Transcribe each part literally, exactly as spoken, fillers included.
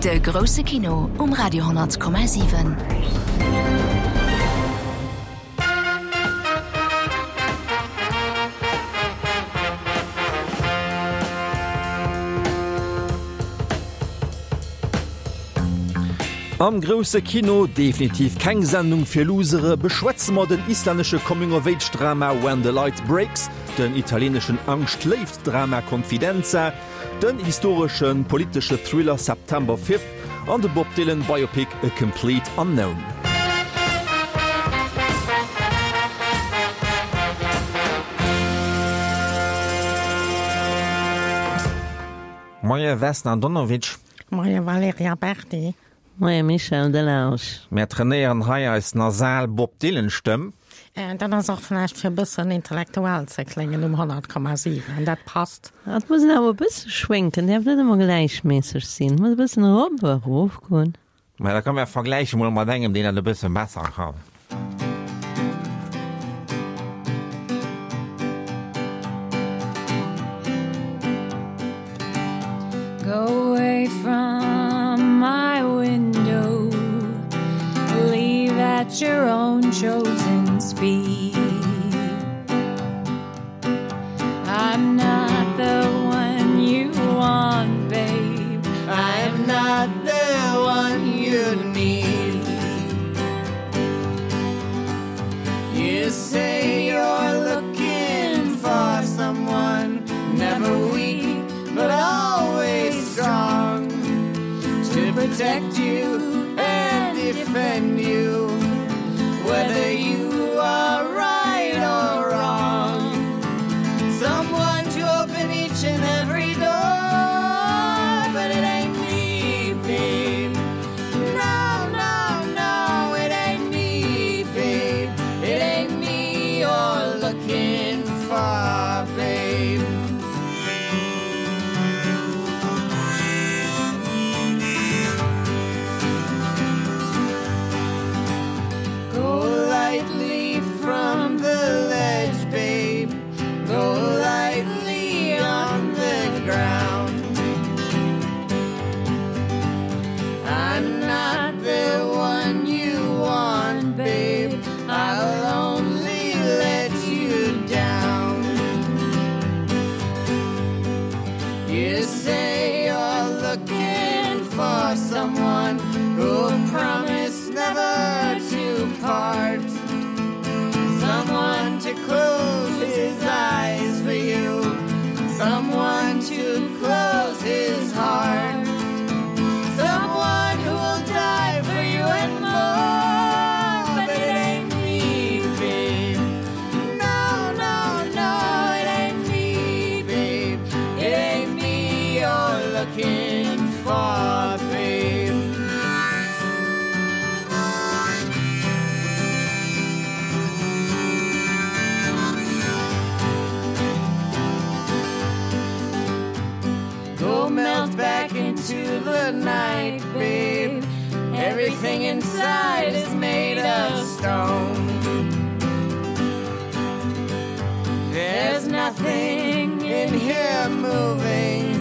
De grousse Kino um Radio honnert Komma siwen. Am grousse Kino, definitiv keng Sendung fir Loosere, beschwätze mer den islännesche Coming-of-Age-Drama When the Light Breaks, den italieeneschen Angscht-Léift-Drama Confidenza, den historeschen politesche Thriller September Fifth an de Bob Dylan Biopic A Complete Unknown. Moie Vesna Donowitsch. Moie Valerija Berdi. Moie Michel Delage. Mär trainéieren hei eis nasal Bob Dylan Stëmm. Dat ass och vläicht fir e bëssen intellektuell ze kléngen um honnert Komma siwen. Dat passt. Et muss een awer e bësse schwénken, däerf net ëmmer gläichméisseg sinn, muss e bëssen erop a erof goen. Mä da komm mär vergläiche mol mat engem, deen dat e bësse besser kann. Go away from my window, leave at your own chosen speed. I'm not the one you want, babe. I'm not the one you need. You say you're looking for someone never weak, but always strong to protect you and defend you, whether you are right or wrong. Someone to open each and every door, but it ain't me, babe. No, no, no, it ain't me, babe. It ain't me you're looking for, babe. Go lightly from the ledge, babe. Go lightly on the ground. I'm not the one you want, babe. I'll only let you down. You say you're looking for someone who'll promise never to part. Someone to close his eyes for you. Someone to close his heart. Someone who will die for you and more. But it ain't me, babe. No, no, no, it ain't me, babe. It ain't me you're looking for, babe. Go melt back into the night, babe. Everything inside is made of stone. There's nothing in here moving.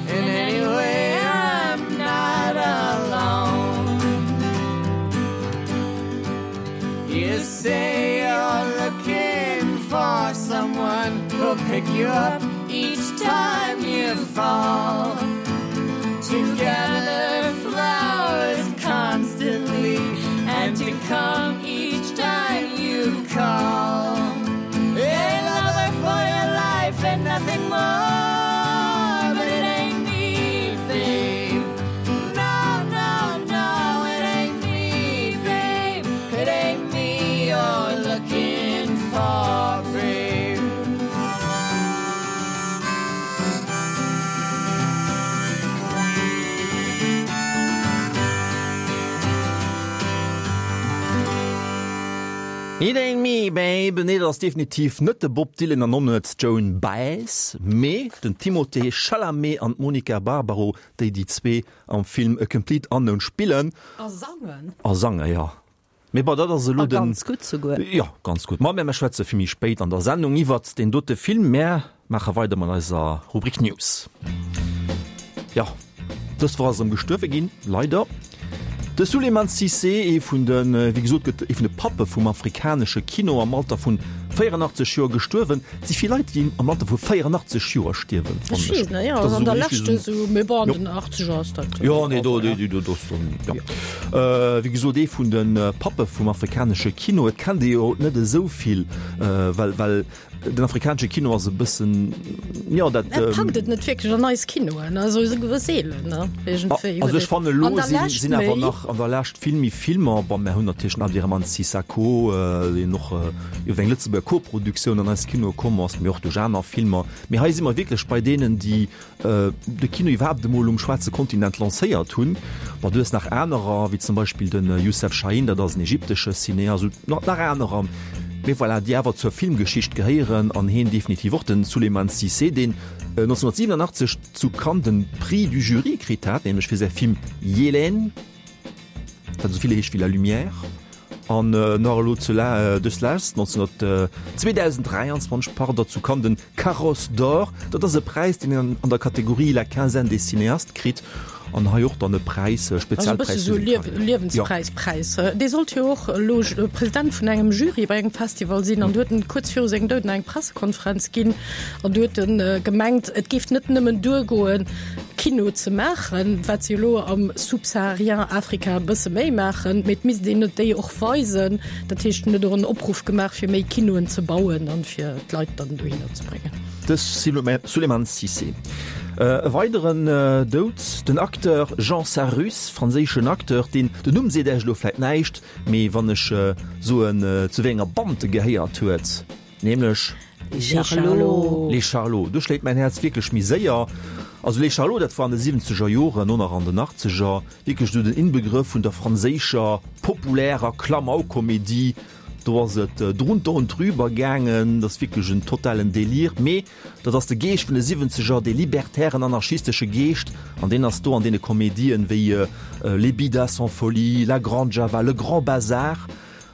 In any way, I'm not alone. You say you're looking for someone who'll pick you up each time you fall. To gather flowers constantly and to come each time you call. A lover for your life and nothing more. But it ain't me, babe. No, no, no, it ain't me, babe. It ain't me you're looking for, babe. It ain't me, babe. Nee, dat ass definitiv net de Bob Dylan an och net d'Joan Baez, mee den Timothée Chalamet an d'Monica Barbaro, déi déi zwee am Film A Complete Unknown spillen. A sangen. A sangen, jo. Mee bon, dat ass elo A den. ganz gutt souguer. Jo, ganz gutt. Ma mir schwätze vill méi spéit an der Sendung iwwert deen dote Film. Mär maache weider mat eiser Rubrik News. Jo, Dës Woch ass erëm gestuerwe ginn, leider. De Souleymane Cissé, ee vun de, wéi gesot gëtt, ee vun de Pappe vum afrikanesche Kino, am Alter vun véierunachtzeg Joer gestuerwen. Et si vill Leit, déi am Alter vu véierunachtzeg Joer stierwen, Ech fannen ech. weess net, jo, Dat ass an der esou Lescht richtig esou. esou, mee bon, an Jo. den Achtzeger ass dat. Jo, nee, do, do, do, do ass dann, jo. Wéi gesot, ee vun de Pappe vum afrikanesche Kino. Et kennt ee jo net esou vill, well, well Den afrikanesche Kino ass e bëssen, jo, dat. Et packt et net wierklech an eis Kinoen, also esou seelen, ne, iergendwéi. Also ech fannen elo An der sinn, Lescht sinn awer méi. nach an der Lescht vill méi Filmer. Bon, mär hunn natierlech den Abderrahmane Sissako, deen och iwwer eng Lëtzebuerger Koproduktioun an eis Kinoe komm ass, mee och duerch aner Filmer. Mee hei si mer wierklech bei deenen, déi de Kino iwwerhaapt emol um schwaarze Kontinent lancéiert hunn. Bon, du hues nach anerer, wéi zum Beispill de Youssef Chahine, dat ass en ägyptesche Cineast, also nach anerer. Mee voilà, déi awer zur Filmgeschicht gehéieren an heen definitiv och, den Souleymane Cissé, deen nonzénhunnertsiwwenunachtzeg zu Cannes den Prix du Jury kritt hat, nämlech fir säi Film Yeleen, wat esou vill heescht wéi La Lumière, an nach elo dëslescht, zweetausenddräianzwanzeg, pardon, zu Cannes den Carrosse d'Or, dat ass e Präis, deen een an der Kategorie La Quinzaine des Cinéastes kritt. An hei och dann e Präis, e Spezialpräis fir seng Karriär. Liewenspräis, Präis. Dee sollt jo och elo President vun engem Jury bei engem Festival sinn an du huet en kuerz viru sengem Doud nach eng Pressekonferenz ginn an du huet en gemengt, et géif net nëmmen duergoen, Kino ze maachen, wat se elo am subsaharien Afrika e bësse méi maachen, mee et misst een et déi och weisen. Dat heescht, en huet och en Opruff gemaach, fir méi Kinoen ze bauen an fir d'Leit dann dohinner ze bréngen. De Souleymane Cissé. E weideren Doud, den Acteur Jean Sarrus, franséischen Acteur, deen, den Numm seet Iech elo vläit näischt, mee wann ech soen, zu wéi enger Band e gehéiert huet, nämlech. Les Charlots. Les Charlots, do schléit mäin Häerz wierklech méi séier. Also Les Charlots, dat war an de siwwenzeger Joren, no nach an den achtzeger, wierklech esou den Inbegrëff vun der franséischer populärer Klamaukkomedie. Do ass et drunter und drüber gaangen, dat ass wierklech en totalen Délire. Mee dat ass de Geescht vun de Siwwenzeger, dee libertären, anarchistesche Geescht, an deen ass do an deene Komedien wéi Les Bidas en folie, La Grande Java, Le Grand Bazar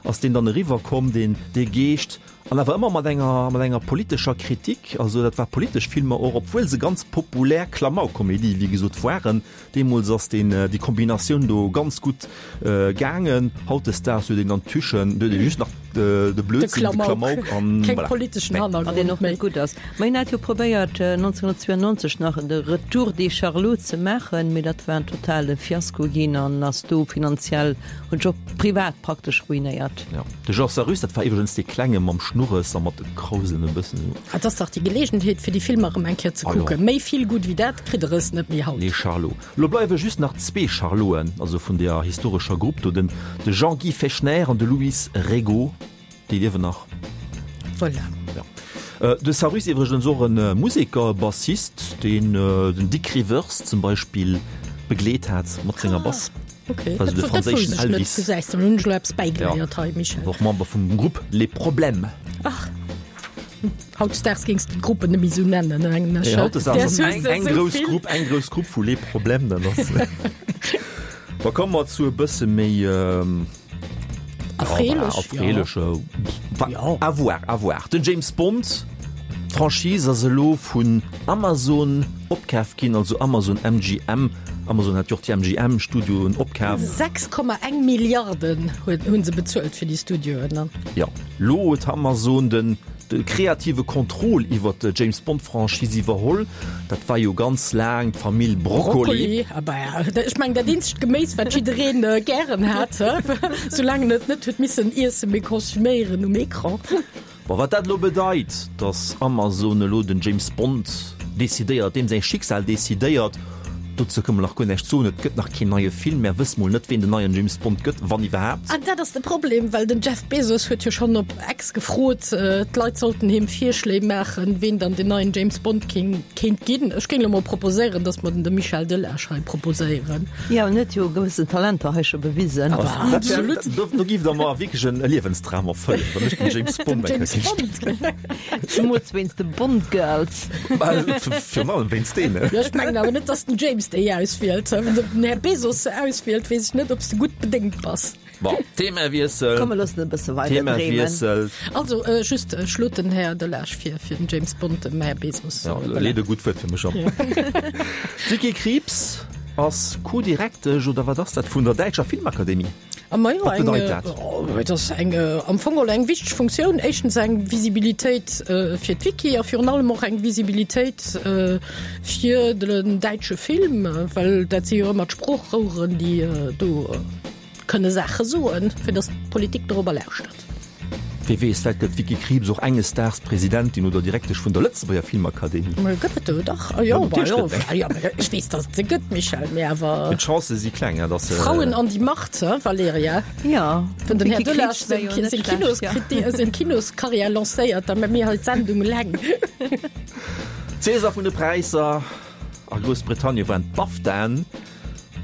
ass deen dann eriwwer komm, deen, dee Geescht. An awer ëmmer mat enger, mat enger politescher Kritik. Also dat war politesch Filmer och, obwuel se ganz populär Klamaukkomedie wéi gesot waren. Deemools ass deen, déi Kombinatioun do ganz gutt gaangen. Hautdesdaags huet een dann d'Tüchen, do huet ee just nach de Blödsinn, de Klamauk an Keng voilà. politeschen Nee. An deen Hannergrond och méi. net gutt ass. Ma hien hat jo probéiert nonzénhunnertzweeënneunzeg nach de Retour des Charlots ze maachen, mee dat war en totale Fiasko ginn an ass do finanziell, huet sech och privat praktesch ruinéiert. Jo. De Jean Sarrus, dat war iwwregens dee Klenge mam Schnurres a mat de Krausen e bëssen esou. Et ass dach déi Geleegenheet fir déi Filmer erëm eng Kéier ze Ah jo. kucken. Méi vill gutt wéi dat kritt der es net méi haut. Les Charlots. Lo bleiwe just nach zwee Charloten, also vun deeër historescher Grupp do, den de Jean-Guy Fechner an de Louis Regaud, déi liewen nach. Voilà. Ja. De Sarrus iwwregens och e Museker, e Bassist, deen den Dick Rivers zum Beispill begleet hat mat senger Bass. Okay. Also de Dat, dat franséischen wousst ech net. Elvis. Gesäis de, hunn ech elo eppes bäigeléiert hei, Michel. War och Member vum Grupp Les Problèmes. Ach. Hautdesdaags géings de d'Gruppen net méi esou nennen, mengen ech. Nee, hautdesdaags Däers ass hues eng, de eng esou grouss vill. Grupp, eng grouss Grupp vu Les Problèmes, dann ass. Da komme mer zu e bësse méi Erfreelech, erfreelech, Ja. à voir, à voir. Den James Bond, d'Franchise ass elo vun Amazon opkaf ginn, also Amazon M G M. Amazon hat jo och déi M G M Studioen opkaf. Sechs Komma eng Milliarden huet, hunn se bezuelt fir déi Studioen, ne? Jo, lo huet Amazon den de kreative Contrôle iwwer d'James Bond Franchise iwwerholl. Dat war jo ganz laang d'Famill Broccoli. Broccoli, ah bah ja, ech mengen dat eenzegt Geméis wat jiddereen gären hat, soulaang en et net huet missen iessen, mee konsuméieren um Ecran. Bon, wat dat elo bedeit, dass Amazon elo den James Bond decidéiert, deem säi Schicksal decidéiert, dozou kënne mer nach guer näischt soen. Et gëtt nach keen neie Film, mär wësse mol net, ween den neien James Bond gëtt, wann iwwerhaapt. An dat ass de Problem, well den Jeff Bezos huet jo schonn op X gefrot, d'Leit sollten him Virschléi maachen, ween dann den neien James Bond kéint ginn. Ech géing elo mol proposéieren, dass mer den de Michel Delage hei proposéieren. Jo, en huet jo gewëssen Talenter hei scho bewisen. Absolut. Do giff der mer wierklech en Liewensdram erfëllen, wann ech den James Bond eng Kéier Den kéint James Bond. Zemools wéinst de Bond Girls. Virun allem wéinst deene. Jo, ech mengen awer net, dass den James déi auswielt. Wann den Här Bezos se auswielt, weess ech net, ob s de gutt bedéngt bass. Bon, Themawiessel. Komm, mir loossen e bësse weider dreemen. Themawiessel. Also, just schlot den Här Delage vir, fir den James Bond dem Här Bezos. Ja, leet e gutt Wuert fir mech an. D'Vicky Krieps ass Co-Direktesch, oder wat ass dat, vun der Däitscher Filmakademie. A ma jo, Wat eng, bedeit dat? oh, dat ass eng, am Fong geholl eng wichteg Funktioun. Éischtens eng Visibilitéit fir d'Wiki a virun allem och eng Visibilitéit fir den däitsche Film, well dat si jo ëmmer d'Sproochroueren, déi do kënne Saache soen, fir datt d'Politik dorobber lauschtert. Wie weess, vläicht gëtt d'Vicky Krieps och enges Daags Presidentin oder Direktesch vun der Lëtzebuerger Filmakademie. Mä gëtt et do dach? Ah jo, Ja, bah natierlech jo, gëtt et eng. ja, mä ech weess, datt et se gëtt, Michèle, mä awer. Mee d'Chancë si kleng, hè, datt se. Frauen an die Macht, hä, Valerija? Ja, Wann den Här d'Vicky Delage Krieps wär jo seng net seng schlecht, ja. Kinoskriti seng Kinoskarriär lancéiert, da mä mir hei d'Sendung eleng. Cäsar vun de Präisser a Groussbritannien waren d'BAFTAen.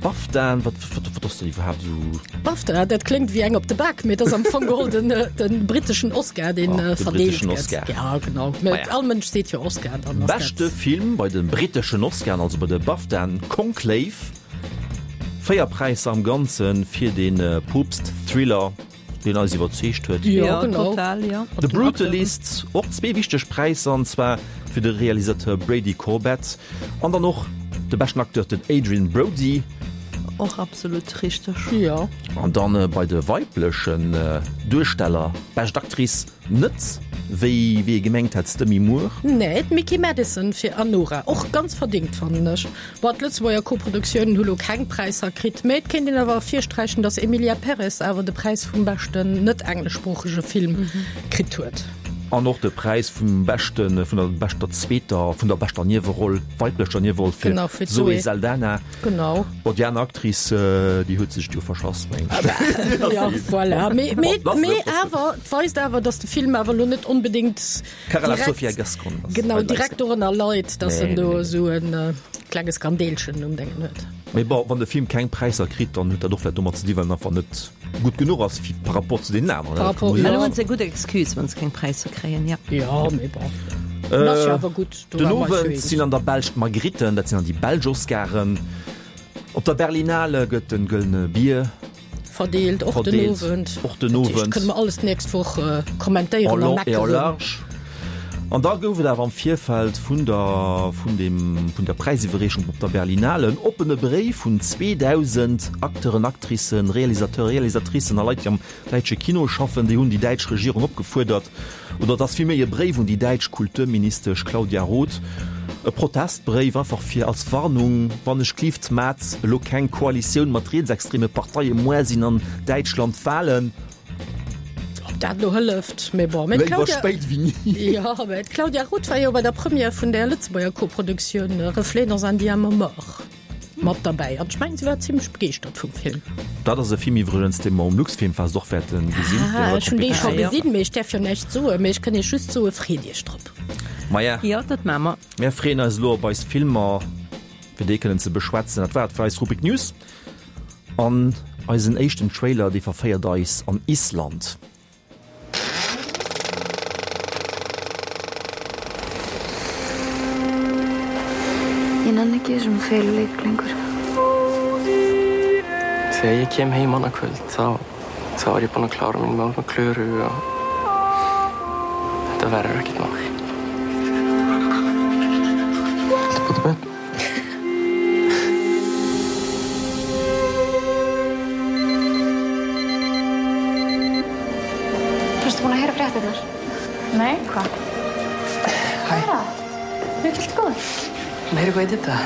BAFTAen, wat, wat, wat ass dat iwwerhaapt esou? BAFTA, dat kléngt wéi eng op de Bak, mee et ass am Fong geholl den, den britteschen Oscar, deen Ah, de verdeelt britteschen gëtt. Oscar. Ja, genau. Mee Maja. all Mënsch seet jo Oscar, dann ass Beschte dat. Film bei de britteschen Oscaren, also bei de BAFTAen, Conclave. Véier Präisser am Ganze fir de Poopst-Thriller. deen eis iwwerzeegt huet. Jo, Ja, genau. total, ja. The Brutalist, och zwee wichteg Präisser, an zwar fir de Realisateur Brady Corbet an dann och de beschten Acteur, den Adrien Brody. Och absolut richteg. Jo. An dann bei de weiblechen Duersteller, bescht Actrice net, wéi wéi ee gemengt hätt, d'Demi Moore. Nee, d'Mikki Madison fir Anora, och ganz verdingt, fannen ech. Bon, d'Lëtzebuerger Koproduktiounen hu lo keng Präisser kritt, mä et kéint een awer ervirsträichen, datt Emilia Pérez awer de Präis vum beschten net-engleschsproochege Film kritt huet. An och de Präis vum beschten, vun der beschter zweeter, vun der beschter Nieweroll, weiblecher Nieweroll fir Genau, fir d'Zoé d'Zoé. Saldana. Genau. Bon, déi aner Actrice, déi huet sech et jo verschass, mengen ech. Ja, voilà. Mee, mee, Bon, dat mee ass et. awer, et weist awer, datt de Film awer lo net onbedéngt Carla direkt, Sofia Gascon ass genau, bei direkt dorënner leit, datt Nee, en nee, do nee. esou en klenge Skandeelchen um Déngen huet. Mee bon, wann de Film keng Präisser kritt, dann huet dat och vläicht domat ze dinn, well en einfach net gutt genuch ass fir par rapport zu deenen aneren. Par rapport, Elo ja. hunn se eng gutt Excuse, wann se keng Präisser kréien, ja. Ja, mee bon. En ass jo awer gutt, do Den war mer eis jo Owend eens. sinn an der Belsch d'Margritten, dat sinn dann déi belsch Oscaren. Op der Berlinale gëtt den Gëllene Bier Verdeelt, och den verdeelt, Owend. och den Dat heescht, Owend. kënne mer alles d'nächst Woch kommentéieren En a long et en meckeren. large. An da gouf et awer am Virfeld vun der, vun dem, vun der Präisiwwerreechung op der Berlinale en oppene Bréif vun zweedausend Acteuren, Actricen, Realisateuren, Realisatricen a Leit, déi am däitsche Kino schaffen. Déi hunn déi däitsch Regierung opgefuerdert, oder et ass villméi e Bréif un déi däitsch Kulturministesch Claudia Roth, e Protestbréif einfach fir als Warnung, wann ech glift mat elo keng Koalitioun mat rietsextreme Parteie, muer sinn an Däitschland Wahlen. Ob dat elo hëlleft, mee bon. Mee Léiwer d'Claudia, spéit wéi ni. jo, mee d'Claudia Roth war jo bei der Première vun der Lëtzebuerger Koproduktioun Reflets dans un diamant mort mat derbäi an ech mengen, si war zimlech begeeschtert vum Film. Dat ass e Film iwwregens, dee mer um Luxfilmfest och wäerte gesinn. Ah, ech hunn dee scho Ah, jo. gesinn, mee ech däerf jo näischt soen, mee ech kënn Iech just soen, freet Iech drop. Maja, Jo, dat maache mer. mir freeën eis elo op eis Filmer, fir déi kënnen ze beschwätzen. Dat war et fir eis Rubrik News. An eisen éischten Trailer, dee verféiert eis an Island. Ég nenni ekki þessum feluleik lengur. Þegar ég kem heim annað kvöld þá, þá er ég búinn að klára mín mál með Klöru og þetta verður ekkert mál. Viltu búa til börn? Varstu búin að heyra fréttirnar? Nei, hvað? Hæ. Hvað er að? Mér finnst góður. Meira hvað heitir þetta?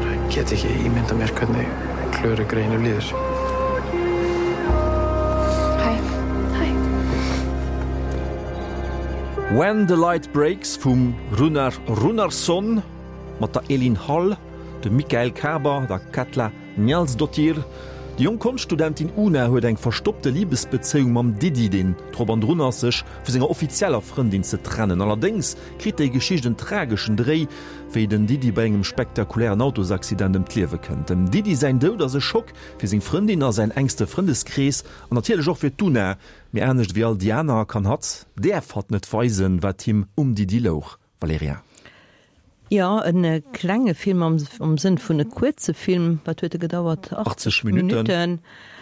Bara get ekki ímyndað mér hvernig Klöru greyinu líður. Hæ. Hæ. When the Light Breaks vum Rúnar Rúnarsson mat der Elín Hall, dem Mikael Kaaber, der Katla Njálsdóttir. Déi jonk Konschtstudentin Una huet eng verstoppte Libesbezéiung mam Diddi, deen drop an drun ass, sech vu senger offizieller Frëndin ze trennen. Allerdéngs kritt déi Geschicht en trageschen Dréi, wéi den Diddi bei engem spektakulären Autosaccident ëm d'Liewe kënnt. Dem Diddi säin Doud ass e Schock fir seng Frëndin a säin enkste Frëndeskrees an natierlech och fir d'Una. Mee anescht wéi all déi aner kann hatt, däerf hatt net weisen, wat him um Diddi louch. Valerija. Jo, en klenge Film am am Sënn vun e kuerze Film. Wat huet e gedauert? achtzeg Minutten.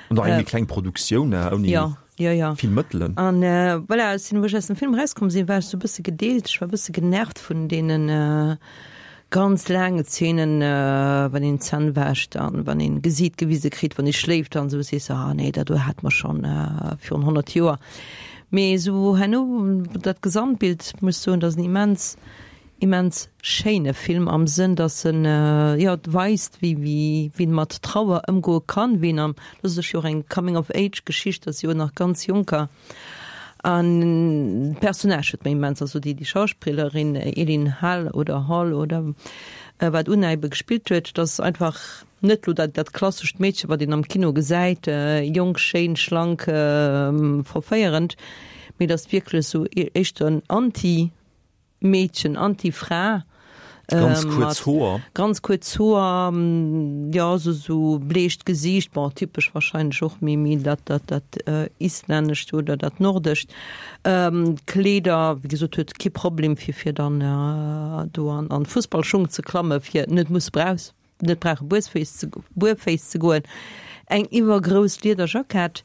An och eng méi kleng Produktioun, ouni jo, jo, jo. vill Mëttelen. An voilà, ech sinn, wou ech aus dem Film erauskomm sinn, war ech sou e bësse gedeelt. Ech war e bësse genervt vun deenen ganz laange Zeenen, wann een d'Zänn wäscht an wann een Gesiit gewise kritt, wann ee schléift an esou, sees de, ah nee, dat do hate mer schonn virun honnert Joer. Mee esou herno dat Gesamtbild, muss ech soen, dat ass en immens, immens schéine Film am Sënn, dass en jo weist, wéi wéi wéi een mat Trauer ëmgoe kann, wéi een am, dat ass jo och eng Coming of Age Geschicht, dat si jo nach ganz Jonker an d'Personnage huet mir immens, also déi déi Schauspillerin Elin Hall oder Hall oder wat Unna ebe gespillt huet, dat ass einfach net lo dat dat klassescht Meedche wat een am Kino gesäit, jonk, schéin, schlank, verféierend, mee dat ass wierklech esou éischter en Anti. Meedchen, Anti-Fra. Ganz kuerz Hoer. Ganz kuerz Hoer, jo, esou esou bleecht Gesiicht, bon, typesch wahrscheinlech och méi méi dat dat dat Islännescht oder dat Nordescht. Kleeder, wéi gesot, huet kee Problem fir fir dann do an an Fussballschung ze klamme fir net musse brauchs net brauche buerféiss ze buerféiss ze goen. Eng iwwergrouss Liederjackett.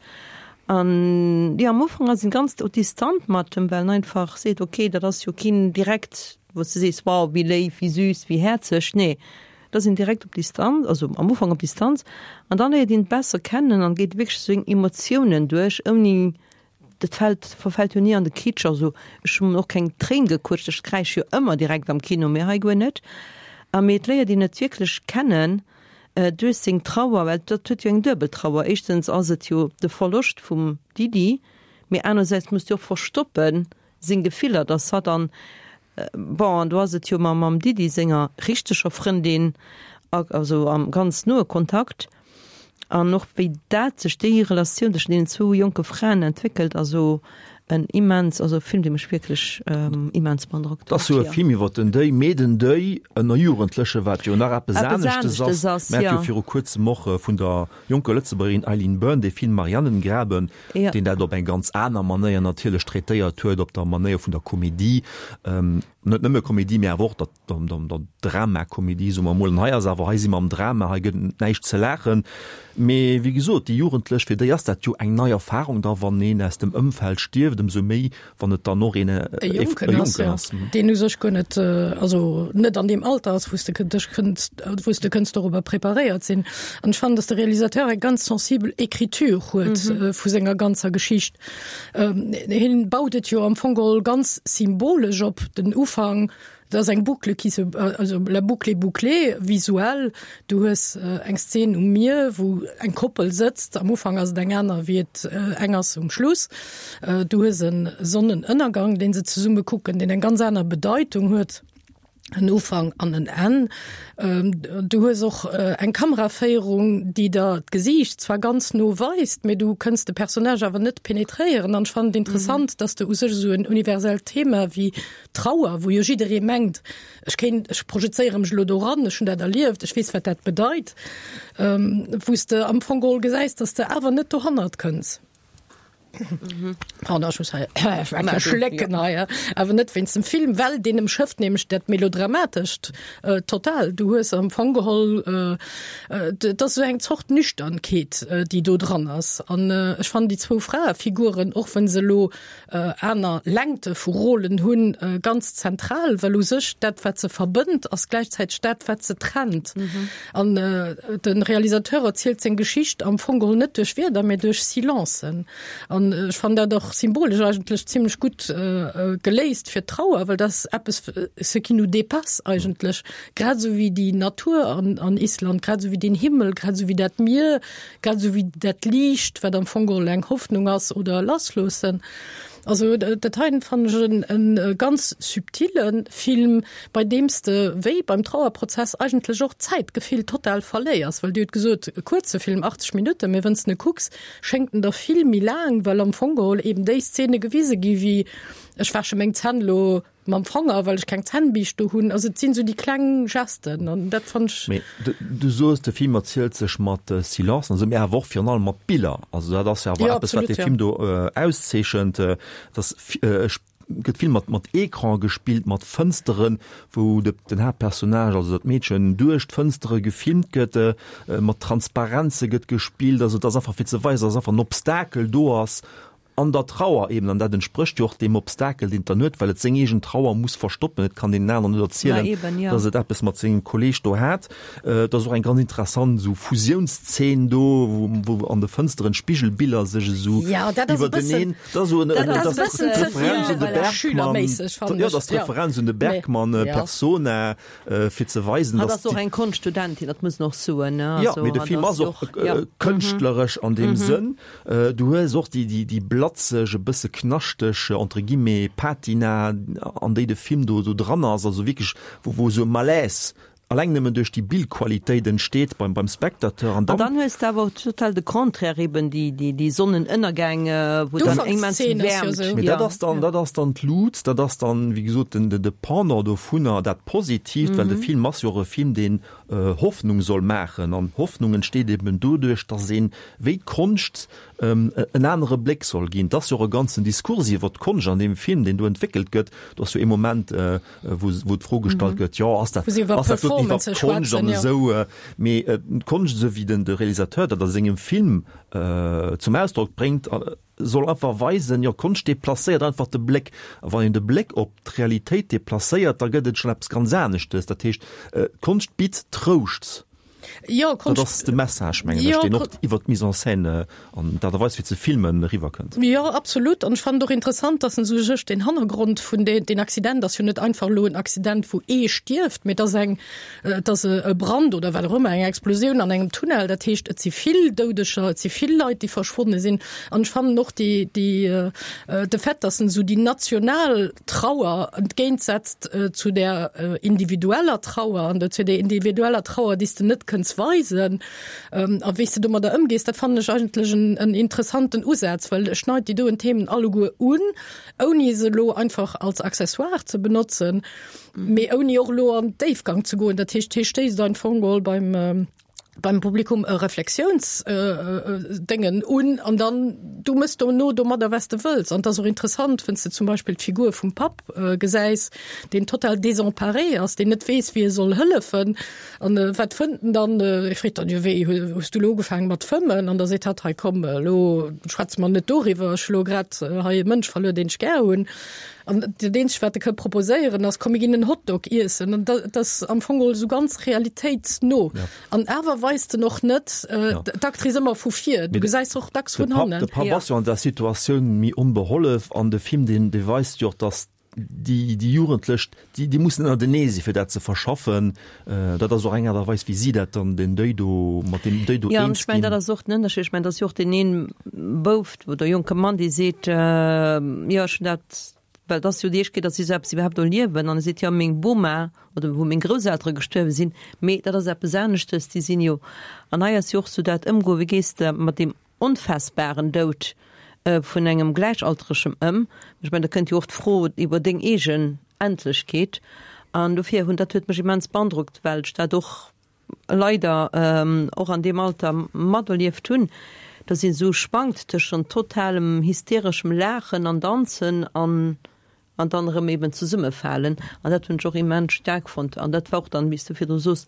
An jo, am Ufank ass en ganz distant mat em, well en einfach seet, ok, dat ass jo keen direkt, wou s de sees, wow, wéi léif, wéi süß, wéi häerzeg. Nee, et ass een direkt op Distanz, also am Ufank op Distanz, an dann léiert een besser kennen an geet wierklech seng Emotiounen duerch, ouni, dat fält, verfält jo ni an de Kitsch. Also ech hunn och keng Tréin gekutscht, ech kräisch jo ëmmer direkt am Kino, mee hei guer net. A mee et léiert een et wierklech kennen, duerch seng Trauer, well dat huet jo eng duebel Trauer, éischtens ass et jo de Verloscht vum Didi, mee anersäits muss jo och verstoppen seng Gefiller, dass hatt an, bon, an do ass et jo mam mam Didi senger richteger Frëndin, also am ganz noe Kontakt, an och wéi dat sech, déi Relatioun tëschent deenen zwou jonke Fraen entwéckelt, also en immens, also e Film, dee mech wierklech immens beandrockt huet. Et ass jo e Film iwwer den Deuil, mee den Deuil ënner Jugendleche, wat jo nach eppes aneschtes ass. Mir hate jo viru kuerzem och vun der jonker Lëtzebuergerin Eileen Byrne dee Film Marianengraben, deen dat op eng ganz aner Manéier natierlech traitéiert huet, op der Manéier vun der Komedie, net nëmme Komedie, mee awer och der der Dramakomedie, soe mer emol. An hei ass awer, hei si mer am Drama, hei gëtt et näischt ze laachen. Mee wéi gesot, déi Jugendlech, fir déi ass dat jo eng nei Erfahrung da, wann een aus dem Ëmfeld stierft, ëmsou méi, wann et dann och een e Jonken ass, jo, deen u sech guer net, also net an deem Alter ass, wou s de dech kënns, wou s de kënns dorobber preparéiert sinn. An ech fannen, datt de Realisateur eng ganz sensibel Écriture huet vu senger ganzer Geschicht. Hien baut et jo am Fong geholl ganz symbolesch op, den Ufank, dat ass eng Boucle qui se, also la boucle est bouclée, visuell. Du hues eng Szen um Mier, wou eng Koppel sëtzt, am Ufank ass et eng aner wéi et eng ass um Schluss. Du hues e Sonnenënnergang, dee se zesumme kucken, deen eng ganz aner Bedeitung huet. En Ufank an en Enn. Du hues och eng Kameraféierung, déi der d'Gesiicht zwar ganz no weist, mee du kënns de Personnage awer net penetréieren. An ech fannen et interessant, dass de u sech esou en universellt Thema wéi Trauer, wou jo jidderee mengt, ech kéint, ech projezéiere mech elo doran, ech hunn dat erlieft, ech weess, wat dat bedeit, wou s de am Fong geholl gesäis, dass de awer net dohannert kënns. Pardon, ech muss hei eng schlécken hei, awer net wéinst dem Film, well deen ëmschëfft nämlech dat Melodramatescht total. Du hues am Fong geholl, et ass esou eng Zort Nüchternkeet, déi do dran ass. An ech fannen déi zwou Fraefiguren, och wa se elo aner Längte vu Rôlen hunn, ganz zentral, well u sech dat, wat se verbënnt, ass gläichzäiteg dat, wat se trennt. An de Realisateur erzielt seng Geschicht am Fong geholl net duerch Wierder, mä duerch Silencen. An ech fannen dat och symbolesch eigentlech zimlech gutt geléist fir d'Trauer, well dat ass eppes, ce qui nous dépasse eigentlech, grad esou wéi déi Natur an Island, grad esou wéi deen Himmel, grad esou wéi dat Mier, grad esou wéi dat Liicht, wat am Fong geholl eng Hoffnung ass oder e Lassloossen. Also dat heiten fannen ech en e ganz subtile Film, bei deem s de wéi beim Trauerprozess eigentlech och d'Zäitgefill total verléiers, well Dir hutt gesot, e kuerze Film, achtzeg Minutten, mee wann s de e kucks, schéngt en der vill méi laang, well am Fong geholl eben déi Szene gewise gi wéi ech wäsche meng Zänn elo mam Fanger, well ech keng Zännbiischt do hunn. Also et sinn esou déi kleng Gesten an dat fannen ech. Mee du soos, de Film erzielt sech mat Silencen, also mee awer och virun allem mat Biller. Also dat ass jo awer eppes, wat dee Film do auszeechent, dass ech gëtt vill mat mat Ecran gespillt, mat Fënsteren, wou de, den Haaptpersonnage, also dat Meedchen, duerch d'Fënstere gefilmt gëtt, mat Transparenze gëtt gespillt, also et ass einfach fir ze weisen, dass einfach en Obstakel do ass an der Trauer eben, an dat entsprécht jo och deem Obstakel, deen et dann huet, well et seng eegen Trauer muss verstoppen, et kann deenen aneren net erzielen, dass et eppes mat sengem Kolleeg do hat. Et ass och eng ganz interessant esou Fusiounszeen do, wou, wou an de Fënsteren d'Spigelbiller sech esou iwwerteneen, dat ass esou en, dat ass d'Referenz un de Bergman, jo, dat ass d'Referenz un de Bergman, Persona, fir ze weisen, dass. Hatt ass och eng Konschtstudentin, dat muss een och soen, ne? Jo, mee de Film ass och kënschtleresch an deem Sënn. Du hues och déi, déi, déi blatzeg, e bësse knaschteg, entre guillemets, Patina, an déi de Film do, do dran ass, also wierklech, wou, wou esou e Malaise alleng nëmmen duerch déi Bildqualitéit entsteet beim, beim Spectateur. An dann. An dann hues de awer och total de Contraire, eben déi, déi, déi Sonnenënnergäng, wou dann immens Wäermt. Mee dat ass dann, dat ass dann d'Lut, dat ass dann, wéi gesot, den, de Pendant dovunner, dat Positiivt, well de Film ass jo och e Film, deen Hoffnung soll maachen. An Hoffnung entsteet eben doduerch, dass een, wéi d'Konscht, en anere Bléck soll ginn. Et ass jo och e ganzen Diskurs iwwer d'Konscht an deem Film, deen do entwéckelt gëtt. Do ass jo ee Moment, wou wou d'Fro gestallt gëtt, jo, ass dat, ass dat doten iwwerhaapt Konscht an esou. Mee d'Konscht, esou wéi den de Realisateur dat a sengem Film zum Ausdrock bréngt, soll einfach weisen, jo, Konscht deplacéiert einfach de Bléck. A wann een de Bléck op d'Realitéit deplacéiert, da gëtt et schonn eppes ganz aneschtes. Dat heescht, d'Konscht bitt Trouscht. Jo, Dat ass de Message, mengen ech, deen och iwwer d'Mise en scène an d'Aart a Weis fir ze filmen eriwwerkënnt. Jo, absolut. An ech fannen et och interessant, dass en esou sech deen Hannergrond vun deen, deen Accident ass jo net einfach elo en Accident, wou ee stierft, mee et ass eng, et ass e Brand oder wat och ëmmer, eng Explosioun an engem Tunnel. Dat heescht, et si vill Doudeger, et si vill Leit, déi verschwonne sinn. An ech fannen och déi, déi, de Fait, dass en esou déi national Trauer entgéintsetzt zu där individueller Trauer an zu där individueller Trauer, déi s de net kënns weisen, a wéi s de domadder ëmgees, dat fannen ech eigentlech en, en interessanten Usaz, well e schneit déi doen Themen alleguer un, ouni se elo einfach als Accessoire ze benotzen, mee ouni och elo an Déifgang ze goen. Dat heescht, hie stéisst am Fong geholl beim, beim Publikum e Reflexiounsdéngen un an dann du mëss dono domadder wat s de wëlls. An et ass och interessant, wann s de zum Beispill d'Figur vum Papp gesäis, deen total désemparé ass, deen net weess, wéi e soll hëllefen. An wat fënnt en dann? E freet dann, jo wéi, hues du elo ugefaange mat fëmmen? An da seet hatt, hei komm, elo schwätze mer net doriwwer, ech hu lo grad hei e Mënsch verluer, deen ech gär hunn. An dat eenzegt, wat e ka proposéieren, ass, komm mir ginn en Hotdog iessen. An dat ass am Fong geholl esou ganz realitéitsno. An awer weist en och net d'Actrice ëmmer vu vir, du gesäis se och dacks vun hannen. De Papp ass jo an der Situatioun méi onbehollef an de Film, deen weist jo och, datt déi déi Jugendlech, déi déi mussen ënnertenee si fir dat ze verschaffen. Dat ass och eng Aart a Weis, wéi si dat dann den Deuil do, mat deem Deuil do Ja, an eens ech mengen, ginn. dat ass och den Ënnerscheed. Ech mengen, dat ass jo och deen een Bouf oder jonke Mann, dee seet, jo, ech hunn dat, well et ass jo déi éischt Kéier, datt si esou eppes iwwerhaapt erliewen, an e seet, jo, meng Boma oder wou meng Grousseltere gestuerwe sinn, mee dat ass eppes aneschtes, déi sinn jo, an hei ass jo och sou dat Ëmgoen, wéi gees de mat deem onfaassbaren Doud vun engem Gläichaltregem ëm? Ech mengen, da kënnt jo och d'Fro iwwer deng eegen Endlechkeet. An dofir hunn, dat huet mech immens beandrockt, well ech dat och leider och an deem Alter materlieft hunn, dass een esou schwankt tëschent totalem hystereschem Laachen an Danzen an an dann erëm eben zesummefalen. An dat hunn ech och immens staark fonnt. An dat war och dann, wéi s du virdru soos,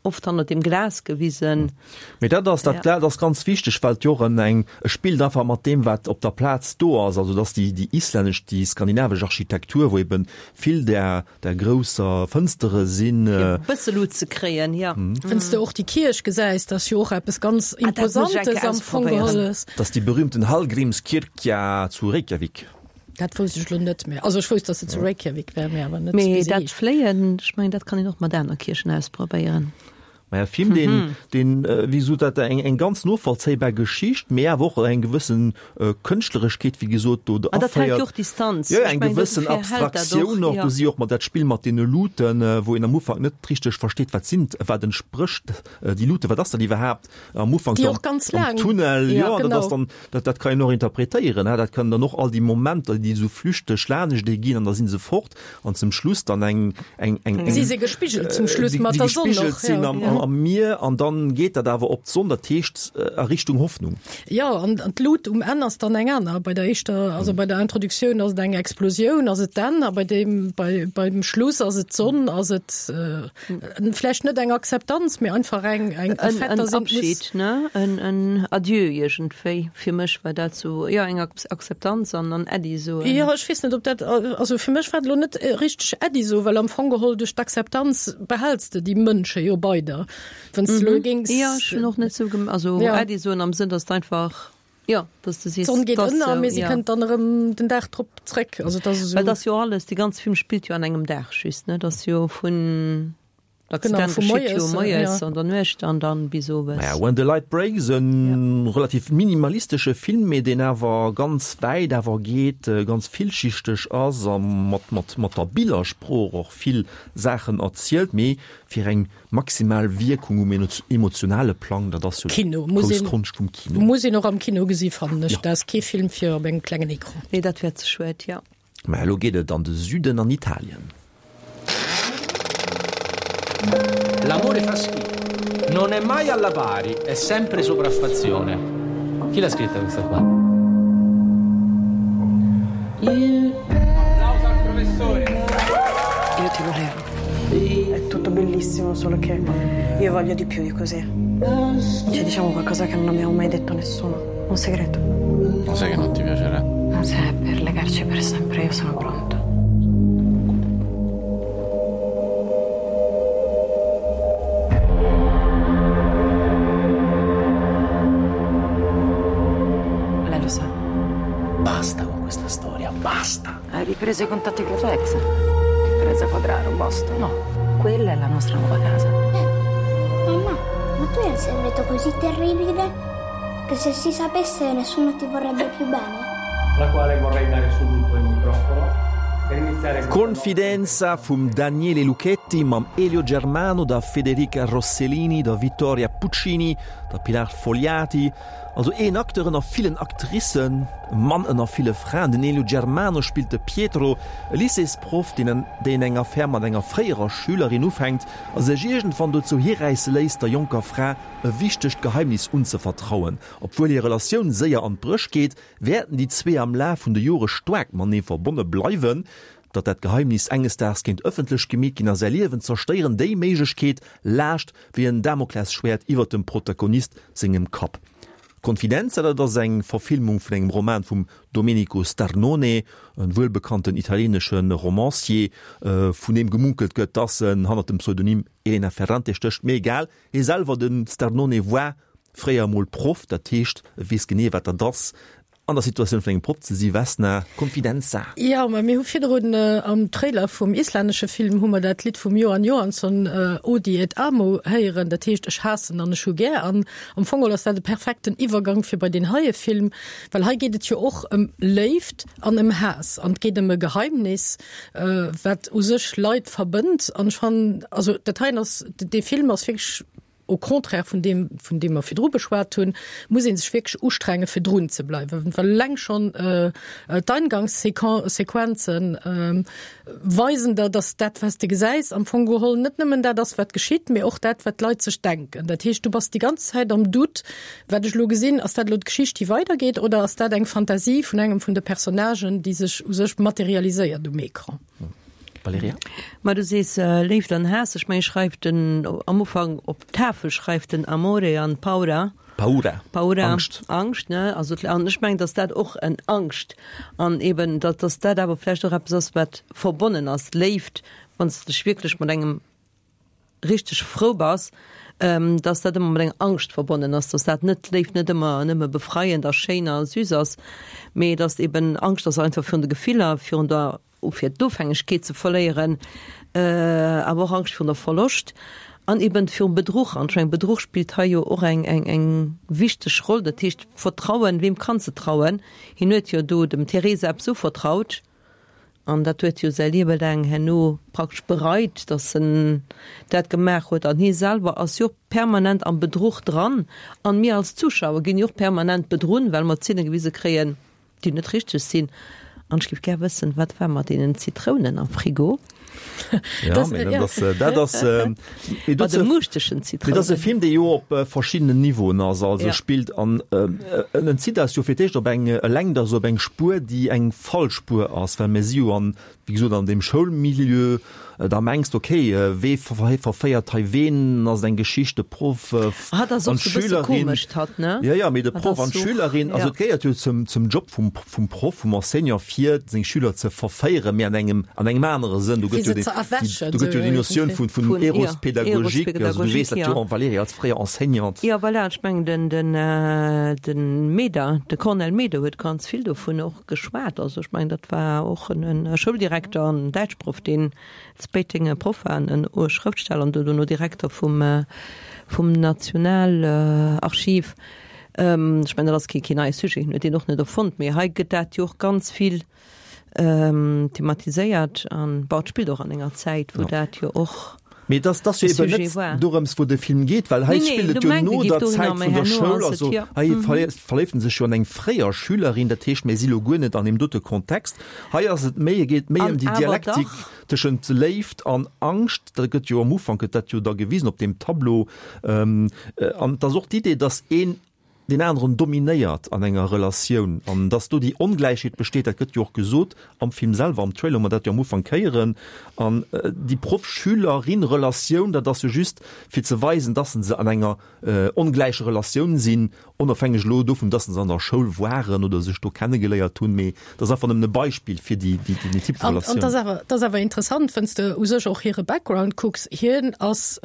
oft hannert dem Glas gewisen. Mee dat ass, dat Glas ass ganz wichteg, well et jo och en eng, e spillt einfach mat deem, wat op der Plaz do ass. Also dass déi, déi islännesch, déi skandinavesch Architektur, wou eben vill där, där grousser Fënstere sinn. Fir e bësse Lut ze kréien, jo. Wann s de och déi Kierch gesäis, dat ass jo och eppes ganz Imposantes am Fong geholl. Dat ass déi berühmten Hallgrímskirkja zu Reykjavik. Dat wousst ech lo net méi. Also ech wousst, dass se zu Reykjavik wär, mee awer net, wéi Mee se dat heescht. Fléien, ech mengen, dat kann een och mat aner Kierchen ausprobéieren. Maja, e Film, deen, deen, wéi gesot, dat eng, eng ganz novollzéibar Geschicht, mee awer och eng gewëssen Kënschtlereschkeet, wéi gesot, do An dat hält aféiert. jo och Distanz. Jo, jo, Ech eng mengen, gewëssen dofir hält dat och, Abstraktioun och. jo. Do si och mat dat Spill mat deene Luten, wou een am Ufank net richteg versteet, wat sinn, wat entsprécht déi Lute, wat ass dat iwwerhaapt am Ufank Déi do och ganz am laang. Tunnel. Ja, Jo, an dat ass genau. dann, dat, dat kann een och interpretéieren, hè, dat kann dann och all déi Momenter, déi esou flüchteg laaneschtee ginn an da si se fort an zum Schluss dann eng, eng, eng, eng, Si si gespigelt zum Schluss déi, mat déi der Sonn gespigelt och, sinn ja. am, am, am Mier an dann geet dat awer op d'Sonn, dat heescht a Richtung Hoffnung. Jo, an d'Lut um Enn ass dann eng aner. Bei der éischter, also bei der Introduktioun ass et eng Explosioun, ass et d'Enn, a bei deem, bei, beim Schluss ass et d'Sonn, ass et vläicht net eng Akzeptanz, mee einfach eng, eng, e Fait, dass een et muss. En Abschied, ne? En, en Adieu iergendwéi. Fir mech war dat sou, jo, eng Akzeptanz an an Äddi soen. Jo, ech weess net, ob dat, also fir mech war et elo net richteg Äddi soen, well am Fong geholl duerch d'Akzeptanz behäls de déi Mënsche jo bei der. Wann s de elo géings. Jo, ech hunn och net sou, also Äddi soen am Sënn, dass de einfach, jo, dass de sees, D'Sonn geet ënner, mee si kënnt dann erëm den Dag drop zréck. Also et ass esou. Well et ass jo alles, dee ganze Film spillt jo an engem Dag just, ne? Et ass jo vun. Genau, vu moies, jo moies an der Nuecht an dann bis owes. Naja, When the Light Breaks, e relativ minimalistesche Film, mee deen awer ganz wäit awer geet, ganz villschichteg ass a mat, mat, mat der Billersprooch och vill Saachen erzielt, mee fir eng maximal Wierkung um emotionale Plang, dat ass jo d'grouss Konscht vum Kino. Muss een och am Kino gesi fannen ech. Dat ass kee Film fir op engem klengen Ecran. Nee, dat wär ze schued, jo. Mä elo geet et an de Süden, an Italien. L'amore fa schifo. Non è mai alla pari, è sempre sopraffazione. Chi l'ha scritta questa qua? Applauso al professore. Io ti volevo. È tutto bellissimo, solo che io voglio di più di così. Ci diciamo qualcosa che non abbiamo mai detto a nessuno. Un segreto. Lo sai che non ti piacerà. Ma se è per legarci per sempre, io sono pronto. Lei lo sa. Basta con questa storia, basta! Hai ripreso i contatti con la tua ex? Teresa Quadraro, Boston. No, quella è la nostra nuova casa. Eh, mamma, ma tu hai un segreto così terribile che se si sapesse nessuno ti vorrebbe più bene? Alla quale vorrei dare subito il microfono per iniziare Confidenza vum Daniele Luchetti mam Elio Germano, der Federica Rossellini, der Vittoria Puccini, der Pilar Fogliati. Also een Acteur ënner villen Actricen, e Mann ënner ville Fraen. Den Elio Germano spillt de Pietro, e Lycéesproff, deen deen eng Affär mat enger fréierer Schülerin ufänkt a sech iergendwann dozou hiräisse léisst, der jonker Fra e wichtegt Geheimnis unzevertrauen. Obwuel hir Relatioun séier an d'Bréch geet, wäerten déi zwee am Laf vun de Jore staark matenee verbonne bleiwen. Datt dat Geheimnis enges Daags kéint ëffentlech gemeet ginn a säi Liewen zerstéieren, déi Méiglechkeet laascht wéi en Damoklesschwäert iwwert dem Protagonist sengem Kapp. Confidenza, dat ass eng Verfilmung vun engem Roman vum Domenico Starnone, e wuelbekannten italieenesche Romancier, vun deem gemunkelt gëtt, datt en hannert dem Pseudonym Elena Ferrante stécht. Mee egal, hie selwer, de Starnone, war fréier emol Proff, dat heescht, e weess genee, wat dat ass, an der Situatioun vun engem Proff ze si. Vesna, Confidenza. Jo, mä mir hu virdrun am Trailer vum islännesche Film hu mer dat Lidd vum Johann Johansson Odi et amo héieren, dat heescht Ech haassen an ech hu gär. An am Fong geholl ass dat e perfekten Iwwergang fir bei deen heie Film, well hei geet et jo och ëm Léift an ëm Haass an et geet ëm e Geheimnis, wat u sech Leit verbënnt. An ech fannen, also dat heien ass, dee Film ass wierklech, au contraire vun deem, vun deem mer virdru beschwat hunn, muss ee sech wierklech ustrenge fir drun ze bleiwen, well eleng schonn d'Eingangssequenzen weisen der, dass dat, wat s de gesäis, am Fong geholl net nëmmen dat ass, wat geschitt, mee och dat, wat d'Leit sech denken. Dat heescht, du bass déi ganz Zäit am Doute, Wat ech elo gesinn, ass dat elo d'Geschicht, déi weidergeet, oder ass dat eng Fantasie vun engem vun de Personnagen, déi sech u sech materialiséiert um Ecran? Valerija? Ma du sees Léift an Haass. Ech mengen, schreift den am Ufank op d'Tafel schreift den Amore an Paura. Paura. Paura. Angscht. Angscht, ne? Also, an ech mengen, datt dat och en Angscht an eben, datt, datt dat awer vläicht och eppes ass, wat verbonnen ass. Léift, wann s de dech wierklech mat engem richteg frou bass, dass dat ëmmer mat enger Angscht verbonnen ass, dass dat net, d'Léift net ëmmer nëmme befreiend a schéin a süß ass, mee dass eben Angscht ass einfach virun de Gefiller, virun der, fir d'Ofhängegkeet ze verléieren, awer och Angscht virun der Verloscht an eben virum Bedruch. An ech mengen, Bedruch spillt hei jo och eng, eng, eng wichteg Roll. Dat heescht Vertrauen, weem kanns de trauen? Hien huet jo do dem Theresa eppes uvertraut. An dat huet jo säi Liewe laang herno praktesch bereit, datt en dat gemaach huet. An hie selwer ass jo och permanent am Bedruch dran. An mir als Zuschauer ginn jo och permanent bedrunn, well mer Zeene gewise kréien, déi net richteg sinn. An ech géif gär wëssen, wat war mat deenen Zitrounen am Frigo? Ja, mee dat ass, dat ass, mee Bei de dozou, muuschtegen mee dat ass e Zitrounen. Film, dee jo op verschiddenen Niveauen ass, also Ja. spillt an en en zitt eis jo fir d'éischt op eng, e lenkt eis op eng Spuer, déi eng falsch Spuer ass, well mir si jo an, wéi gesot, an deem Schoulmilieu, da mengs de, okay, wee verféiert hei ween, ass et eng Geschicht, de Proff Hatt ass an och sou bësse d'Schülerin, komesch, hatt, ne? jo, jo, mee de Hatt Proff ass an sou, d'Schülerin, also ja. et gehéiert jo zum, zum Job vum, vum Proff, vum Enseignant, fir seng Schüler ze verféieren, mee an engem, an engem anere Sënn. Do Fir gëtt jo se déi, ze déi, erwächen, do gëtt jo sou déi Notioun iergendwéi. vun, vun Vun, ja, Erospedagogik, also du Erospedagogik, weess dat jo, ja. Valérie, als fréier Enseignante. Ja, voilà, ech mengen den, den, den Meder, de Cornel Meder huet ganz vill dovun och geschwat. Also ech mengen, dat war och en, en Schouldirekter, en Däitschproff, deen zu Péiteng Proff war, en Schrëftsteller an dono Direkter vum, vum Nationalarchiv. Ähm, ech mengen, dat ass kee, keen neie Sujet, hien huet deen och net erfonnt, mee hei gëtt dat jo och ganz vill ähm, thematiséiert an bon, et spillt och an enger Zäit, wou Ja. dat jo och Mee dass dass jo e eben Sujet net war. dorëms wou de Film geet, well hei Nee, nee, spillt et du jo mengt, no e der geet dohinner, Zäit mee vun der herno Schoul, ass et also jo. hei Mhm. verléift verléift en sech jo an eng fréier Schülerin, dat heescht mir si lo guer net an deem dote Kontext. Hei ass et méi, et geet méi An ëm déi awer Dialektik dach. tëschent Léift an Angscht, dat gëtt jo am Ufank gëtt dat jo da gewisen op deem Tableau, ähm, an et ass och d'Idee, dass een den aneren dominéiert an enger Relatioun an dass do déi Ongläichheet besteet, dat gëtt jo och gesot am Film selwer, am Trailer, hu mer dat jo am Ufank héieren. An déi Proff-Schülerin-Relatioun, dat ass jo just fir ze weisen, dass se an enger ongläicher Relatioun sinn, onofhängeg elo dovun, dass se an der Schoul waren oder sech do kennegeléiert hunn, mee dat ass einfach nëmmen e Beispill fir déi, déi, déi Typ vu An, an Relatioun. dat ass awer, dat ass awer interessant, wann s de u sech och hire Background kucks. Hien ass,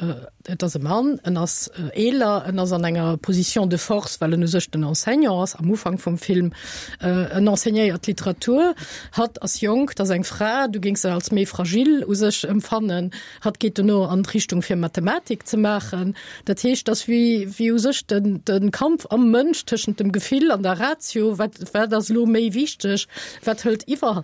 et ass e Mann, en ass eeler, en ass an enger Position de force, well en u sech den Enseignant ass am Ufank vum Film, en enseignéiert Literatur. Hatt ass jonk, dat ass eng Fra, du géings se als méi fragil u sech empfannen. Hatt geet dono an d'Richtung fir Mathematik ze maachen. Dat heescht, dass wéi, wéi u sech den, den Kampf am Mënsch tëschent dem Gefill an der Ratio, wat, wat ass lo méi wichteg, wat hëlt iwwer,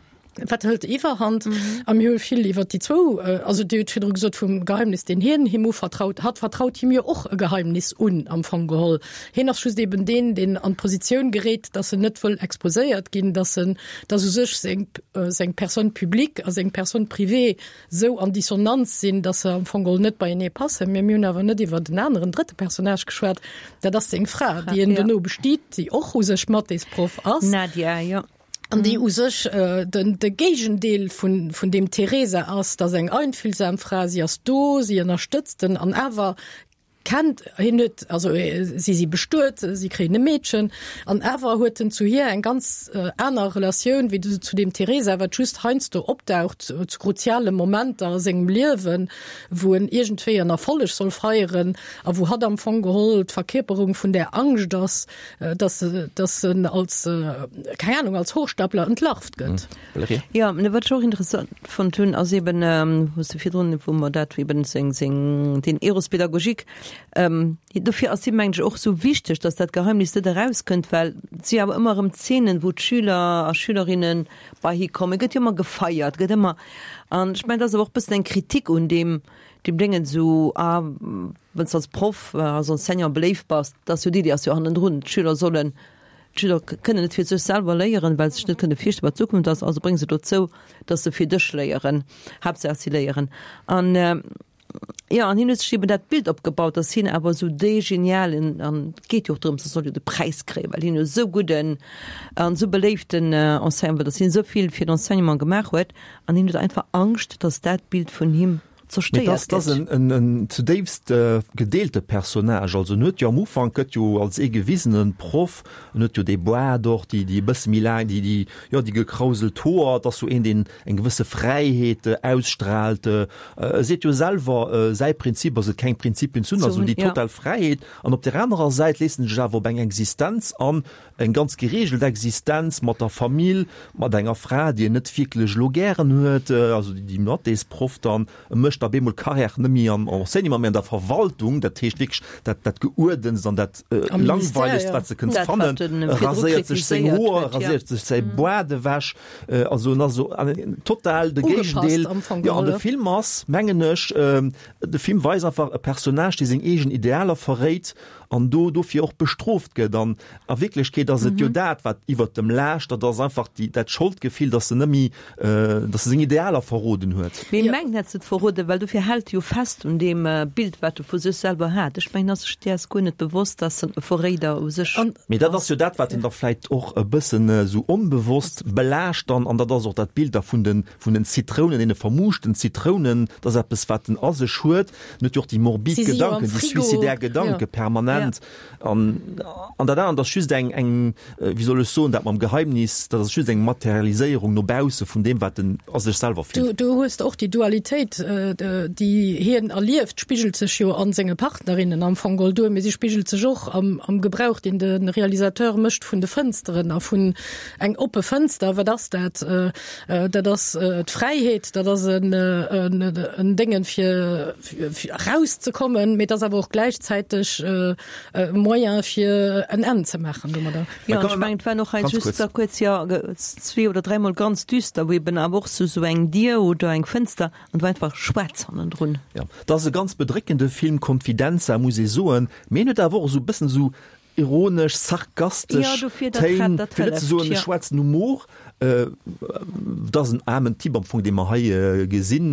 wat hëlt Iwwerhand. A mir hu vill iwwer déi zwou, also Dir hutt virdru gesot vum Geheimnis, deen hien him uvertraut hat, vertraut him jo och e Geheimnis un am Fong geholl. Hien ass just eben deen, deen an d'Positioun geréit, dass en net wëll exposéiert ginn, dass en, dass u sech seng, seng Personne publique a seng Personne privée sou an Dissonanz sinn, dass se am Fong geholl net beienee passen. Mee mir hunn awer net iwwer den aneren drëtte Personnage geschwat, dat ass seng Fra, déi en duerno bestiet, déi och u sech Mathésproff ass. Nadia, jo. An déi u sech den de Géigendeel vun vun deem Theresa ass, dat ass eng einfühlsam Fra, si ass do, si ënnerstëtzt en an awer kennt hien net, also si si bestuet, si kréien e Meedchen an awer huet en zu hir eng ganz aner Relatioun wéi zu deem Theresa, wat just heiansdo opdaucht zu kruziale Momenter a sengem Liewen, wou en iergendwéi en Erfolleg soll feieren a wou hatt am Fong geholl d'Verkierperung vun där Angscht ass, dass dass en als, keng Ahnung, als Hochstapler entlarvt gëtt. Jo, mä wat ech och interessant fonnt hunn, ass eben, wou s de virdrun, wou mer dat eben seng, seng, den Eros pédagogique, Ähm, dofir ass him mengen ech och sou wichteg, dass dat Geheimnis net erauskënnt, well et si awer ëmmer erëm Zeenen, wou d'Schüler a Schülerinne bei hie kommen, gëtt jo ëmmer gefeiert, gëtt ëmmer, an ech mengen, dat ass awer och e bëssen eng Kritik un deem, deem Déngen sou, ah, wann s de als Proff, als Enseignant beléift bass, dat ass jo d'Iddi ass jo hannendrun, d'Schüler sollen, d'Schüler kënnen net fir sech selwer léieren, well se sech net kënne virstellen, wat d'Zukunft ass, also bréng se dozou, dass se fir dech léieren, Haaptsaach si léieren. An jo, an hien huet sech eben dat Bild opgebaut, dass hien awer esou dee genialen, an et geet jo och drëms, e soll jo de Präis kréien, well hien jo esou gudden an esou beléiften Enseignant war, dass hien esou vill fir d'Enseignement gemaach huet, an hien huet einfach Angscht, dass dat Bild vun him Mee zerstéiert dat ass gëtt. en, en zudéifst gedeelte Personnage. Also en huet jo am Ufank gëtt jo als ee gewisenen Proff, en huet jo dee Boart och, déi, déi e bësse méi laang, déi, déi, jo, déi gekrauselt Hoer, et ass sou een, deen eng gewësse Fräiheet ausstrahlt. E seet jo selwer, säi Prinzip ass et, keng Prinzipien ze hunn, also déi total Fräiheet. An op där anerer Säit léisst en sech awer op eng Existenz an, eng ganz gereegelt Existenz mat der Famill, mat enger Fra, déi en net wierklech elo gären huet, also déi Mathésproff dann. E mécht da bemol Karriär net méi am Enseignement, mee an der Verwaltung, dat heescht wierklech dat dat Geuerdenst an dat Langweilegst, wat s de kënns fannen. E raséiert sech seng Hoer, e raséiert sech säi Boart ewech, also en ass esou total de Géigendeel. Jo, an de Film ass, mengen ech, de Film weist einfach e Personnage, dee seng eegen Idealer verréit an do dofir och bestrooft gëtt. An a Wierklechkeet ass et jo dat, wat iwwert dem laascht, dat ass einfach déi, dat Scholdgefill, datt en net méi, datt e seng Idealer verroden huet. Mee mengt hätt se et verroden, well dofir hält e jo fest un deem Bild, wat e vu sech selwer hat. Ech mengen, ass sech däers guer net bewosst, datt en e Verréider u sech ass. Mee dat ass jo dat, wat en da vläicht och e bëssen esou onbewosst belaascht dann. An dat ass och dat Bild da vun den, vun den Zitrounen, deene vermuuschten Zitrounen, dat ass eppes, wat en a sech huet. En huet jo och déi morbid Gedanken, déi suicidaire Gedanke permanent. An, an dat anert ass just eng, eng, wéi soll ech soen, dat mam Geheimnis, dat ass just eng Materialiséierung no bausse vun deem, wat en a sech selwer fillt. Du, du hues och déi Dualitéit, déi hien erlieft, spigelt sech jo a senge Partnerinnen am Fong geholl duer, mee si spigelt sech och am, am Gebrauch, deen de Realisateur mécht vun de Fënsteren a vun eng oppe Fënster, wat ass dat? Dat ass d'Fräiheet, dat ass en, en Déngen fir, fir erauszekommen, mee et ass awer och gläichzäiteg e Moyen fir en Enn ze maachen domadder. Jo, an ech mengen, et war och hei just da kuerz, jo, zwee oder dräimol ganz düster, wou eben awer och sou sou eng Dier oder eng Fënster an et war einfach schwaarz hannendrun. Jo, et ass e ganz bedréckende Film, Confidenza, muss ee soen, mee en huet awer och esou e bëssen esou ironesch, sarkastesch Téin, fir net ze soen e schwaarzen Humor. Et ass en aarmen Typ am Fong, dee mer hei gesinn.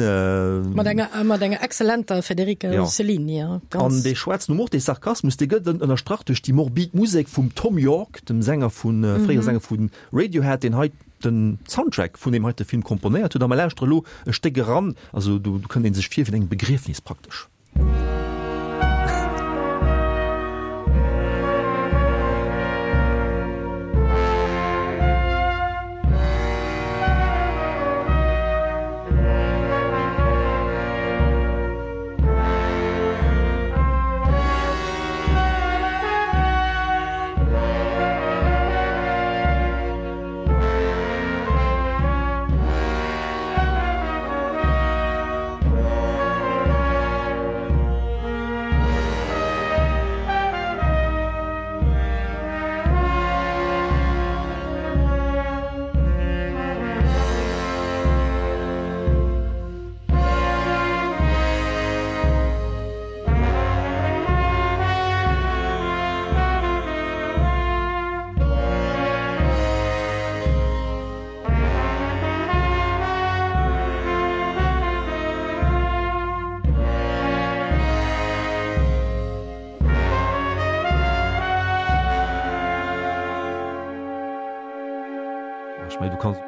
Mat enger, mat enger exzellenter Federica Rossellini, ja. An dee schwaarzen Humor, dee Sarkasmus, dee gëtt ënnerstrach duerch déi morbid Musek vum Thom Yorke, dem Sänger vun, fréiere Sänger vu Radiohead, deen hei den Soundtrack vun deem heite Film komponéiert huet. A mer lauschtere lo e Stéck eran, also do kënnt ee sech vir wéi an engem Begriefnis praktesch. Ech mengen, du kanns.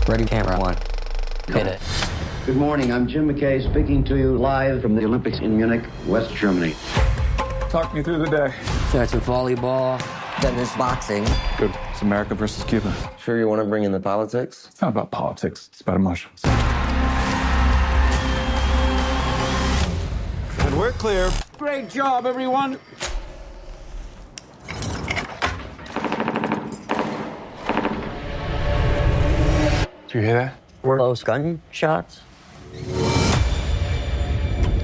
Ready camera one. Hit it. Good morning, I'm Jim McKay speaking to you live from the Olympics in Munich, West Germany. Talk me through the day. Starts with volleyball, then there's boxing. Good. It's America versus Cuba. Sure you want to bring in the politics? It's not about politics, it's about emotions. And we're clear. Great job, everyone. Do you hear that? Were those gunshots?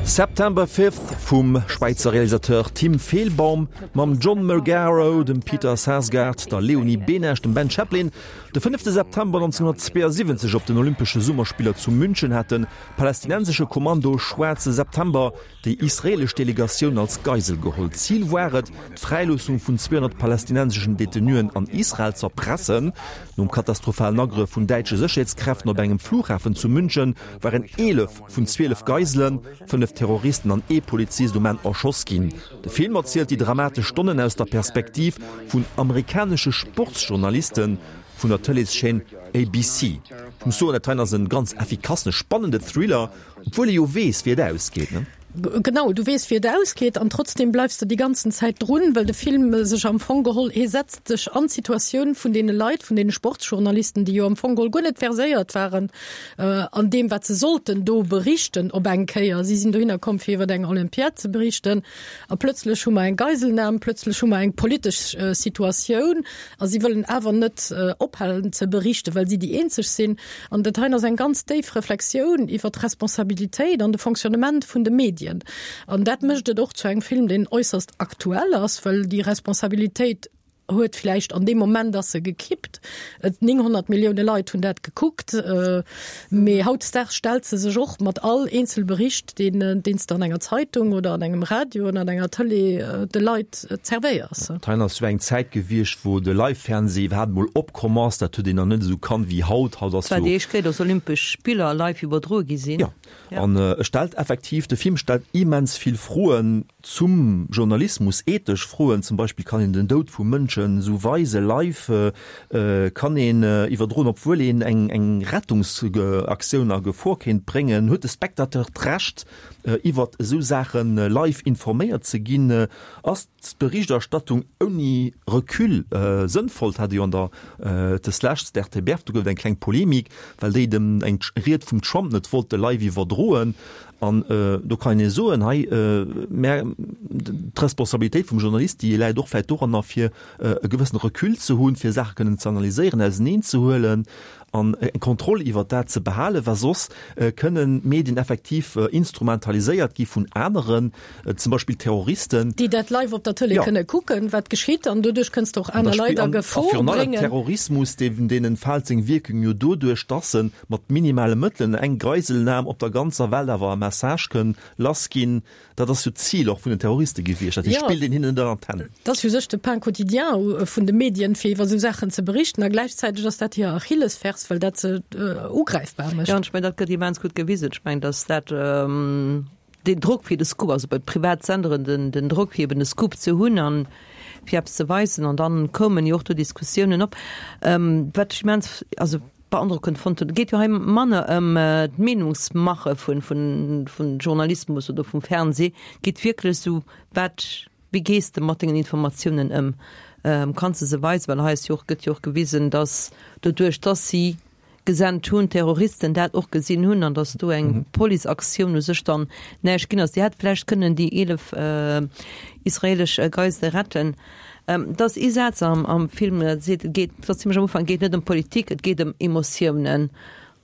September Fifth vum Schwäizer Realisateur Tim Fehlbaum mam John Magaro, dem Peter Sarsgaard, der Leonie Benesch, dem Ben Chaplin. De fënnefte September neunzehnhundertzweeënsiwwenzeg op den Olympesche Summerspiller zu München hat de palästinensesche Kommando Schwaarze September déi israelesch Delegatioun als Geisel geholl. Zil war et, d'Fräiloossung vun zweehonnert palästinenseschen Detenuen an Israel z'erpressen. Nom katastrophalen Agrëff vun däitsche Sécherheetskräften op engem Flughafen zu München waren eelef vun zwielef Geiselen, fënnef Terroristen an ee Polizist um Enn erschoss ginn. De Film erzielt déi dramatesch Stonnen aus der Perspektiv vun amerikanesche Sportsjournaliste vun der Tëleeschaîne A B C. Ech muss soen, dat heien ass e ganz effikassen, spannende Thriller, obwuel ee jo weess, wéi et ausgeet, ne? Genau, du weess wéi et ausgeet an trotzdem bleifs de déi ganzen Zäit drun, well de Film sech am Fong geholl, hie setzt sech an d'Situatioun vun deene Leit, vun deene Sportsjournalisten, déi jo am Fong geholl guer net verséiert waren an deem wat se sollten do berichten op eng Kéier. Si sinn dohinner komm fir iwwer eng Olympiad ze berichten a plötzlech hu mer eng Geiselnam, plötzlech hu mer eng politesch Situatioun a si wëllen awer net ophalen ze berichten, well si déi eenzeg sinn. An dat heien ass eng ganz déif Reflexioun iwwer d'Responsabilitéit an de Fonctionnement vun de Medien. An dat mécht et och zu engem Film, deen äusserst aktuell ass, well déi Responsabilitéit huet vläicht an deem Moment ass se gekippt, et nénghonnert Millioune Leit hunn dat gekuckt, mee hautdesdaags stellt se sech och mat all eenzel Bericht, deen deen s de an enger Zeitung oder an engem Radio oder an enger Tëlee de Leit zerwéiers. D'Hein ass jo eng Zäit gewiescht, wou de Live-Fernseh iwwerhaapt emol opkomm ass. Dat huet een nach net esou kannt wéi haut. Haut ass jo. Et war déi éischt Kéier, datt Olympesch Spiller live iwwerdroe gi sinn. Jo, an e stellt effektiv, de Film stellt immens vill Froen zum Journalismus, ethesch Froen, zum Beispill, Kann een den Doud vu Mënschen esou weise live? Kann een iwwerdroen, obwuel een eng eng Rettungsaktioun a Gefor kéint bréngen? Huet de Spectateur d'Recht, iwwert esou Saache live informéiert ze ginn? Ass d'Berichterstattung ouni Recul sënnvoll? Dat hat ee jo an der deslescht d'RTBF, do gouf et eng kleng Polemik, well déi dem eng Ried vum Trump net wollte live iwwerdroen. An do kann een soen, hei, mä d'Responsabilitéit vum Journalist, déi läit och vläicht doranner, fir e gewëssene Recul ze hunn, fir Saache kënnen ze analyséieren, auseneenzehuelen an eng Kontroll iwwert dat ze behalen, well soss kënnen d'Medien effektiv instrumentaliséiert gi vun aneren, zum Beispill Terroristen. Déi dat live op der Tëlee kënne kucken, wat geschitt, an doduerch kënns de och aner Leit a Gefor bréngen. A virun allem Terrorismus, deen entfaalt seng Wierkung jo doduerch, dass en mat minimale Mëttelen eng Geiselnam op der ganzer Welt awer e Message kënn lass ginn. Dat ass jo d'Zil och vun den Terroriste gewiescht. Dat heescht, spillt een hinnen net an d'Hänn. Dat ass u sech de Pain quotidien vun de Medien, fir iwwer esou Saachen ze berichten. A gläichzäiteg ass dat hir Achillesfers, well dat se ugräifbar mécht. Jo, an ech mengen, dat gëtt immens gutt gewisen. Ech mengen, datt dat deen Drock fir de Scoop, also bei Privatsenderen den, den Drock fir eben e Scoop ze hunn an fir eppes ze weisen, an dann koumen jo och do Diskussiounen op, wat ech immens, also beandrockend fonnt hunn. Et geet jo hei manner ëm d'Meenungsmache vun, vun, vun Journalismus oder vum Fernseh. Et geet wierklech esou, wat, wéi gees de mat dengen Informatiounen ëm? Kanns de se weisen? Well hei ass jo och, gëtt jo och gewisen, datt doduerch, datt si gesent hunn, d'Terroristen dat och gesinn hunn an datt do eng Policeaktioun u sech dann näischt ginn ass. Déi hätt vläicht kënnen déi eelef israelesch Geisele retten. Et ass ee Saz am am Film, dat seet, et geet, dat ass zimlech am Ufank, et geet net ëm Politik, et geet ëm Emotiounen.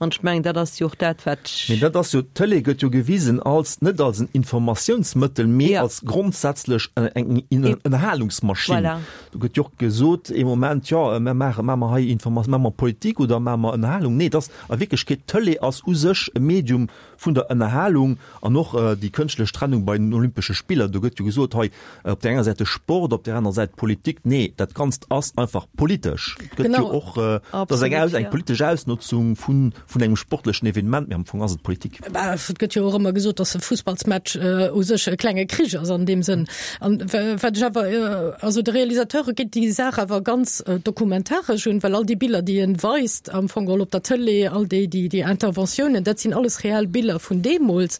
An ech mengen, dat ass jo och dat, wat. Mee dat ass jo, d'Tëlee gëtt jo gewisen als, net als en Informatiounsmëttel, mee als grondsätzlech eng Ënnerhalungsmaschinn. Voilà. Do gëtt jo och gesot ee Moment, jo, mer maache, maache mer hei Informa-, maache mer Politik oder maache mer Ënnerhalung? Nee, et ass a Wierklechkeet, d'Tëlee ass u sech e Medium vun der Ënnerhalung an och déi kënschtlech Trennung bei den Olympesche Spiller. Do gëtt jo gesot, hei op där enger Säit de Sport, op där anerer Säit d'Politik. Nee, dat Ganzt ass einfach politesch. Et gëtt jo och, et ass eng Aus, eng politesch Ausnotzung vun, vun engem sportlechen Evenement, mee am Fong ass et Politik. Bah, et gëtt jo och ëmmer gesot, datt e Fussballsmatch u sech e klenge Krich ass an deem Sënn. An wat ech awer, also de Realisateur geet déi Saach awer ganz dokumentaresch un, well all déi Biller, déi en weist am Fong geholl op der Tëlee, all déi, déi, déi Interventiounen, dat sinn alles reell Biller vun deemools.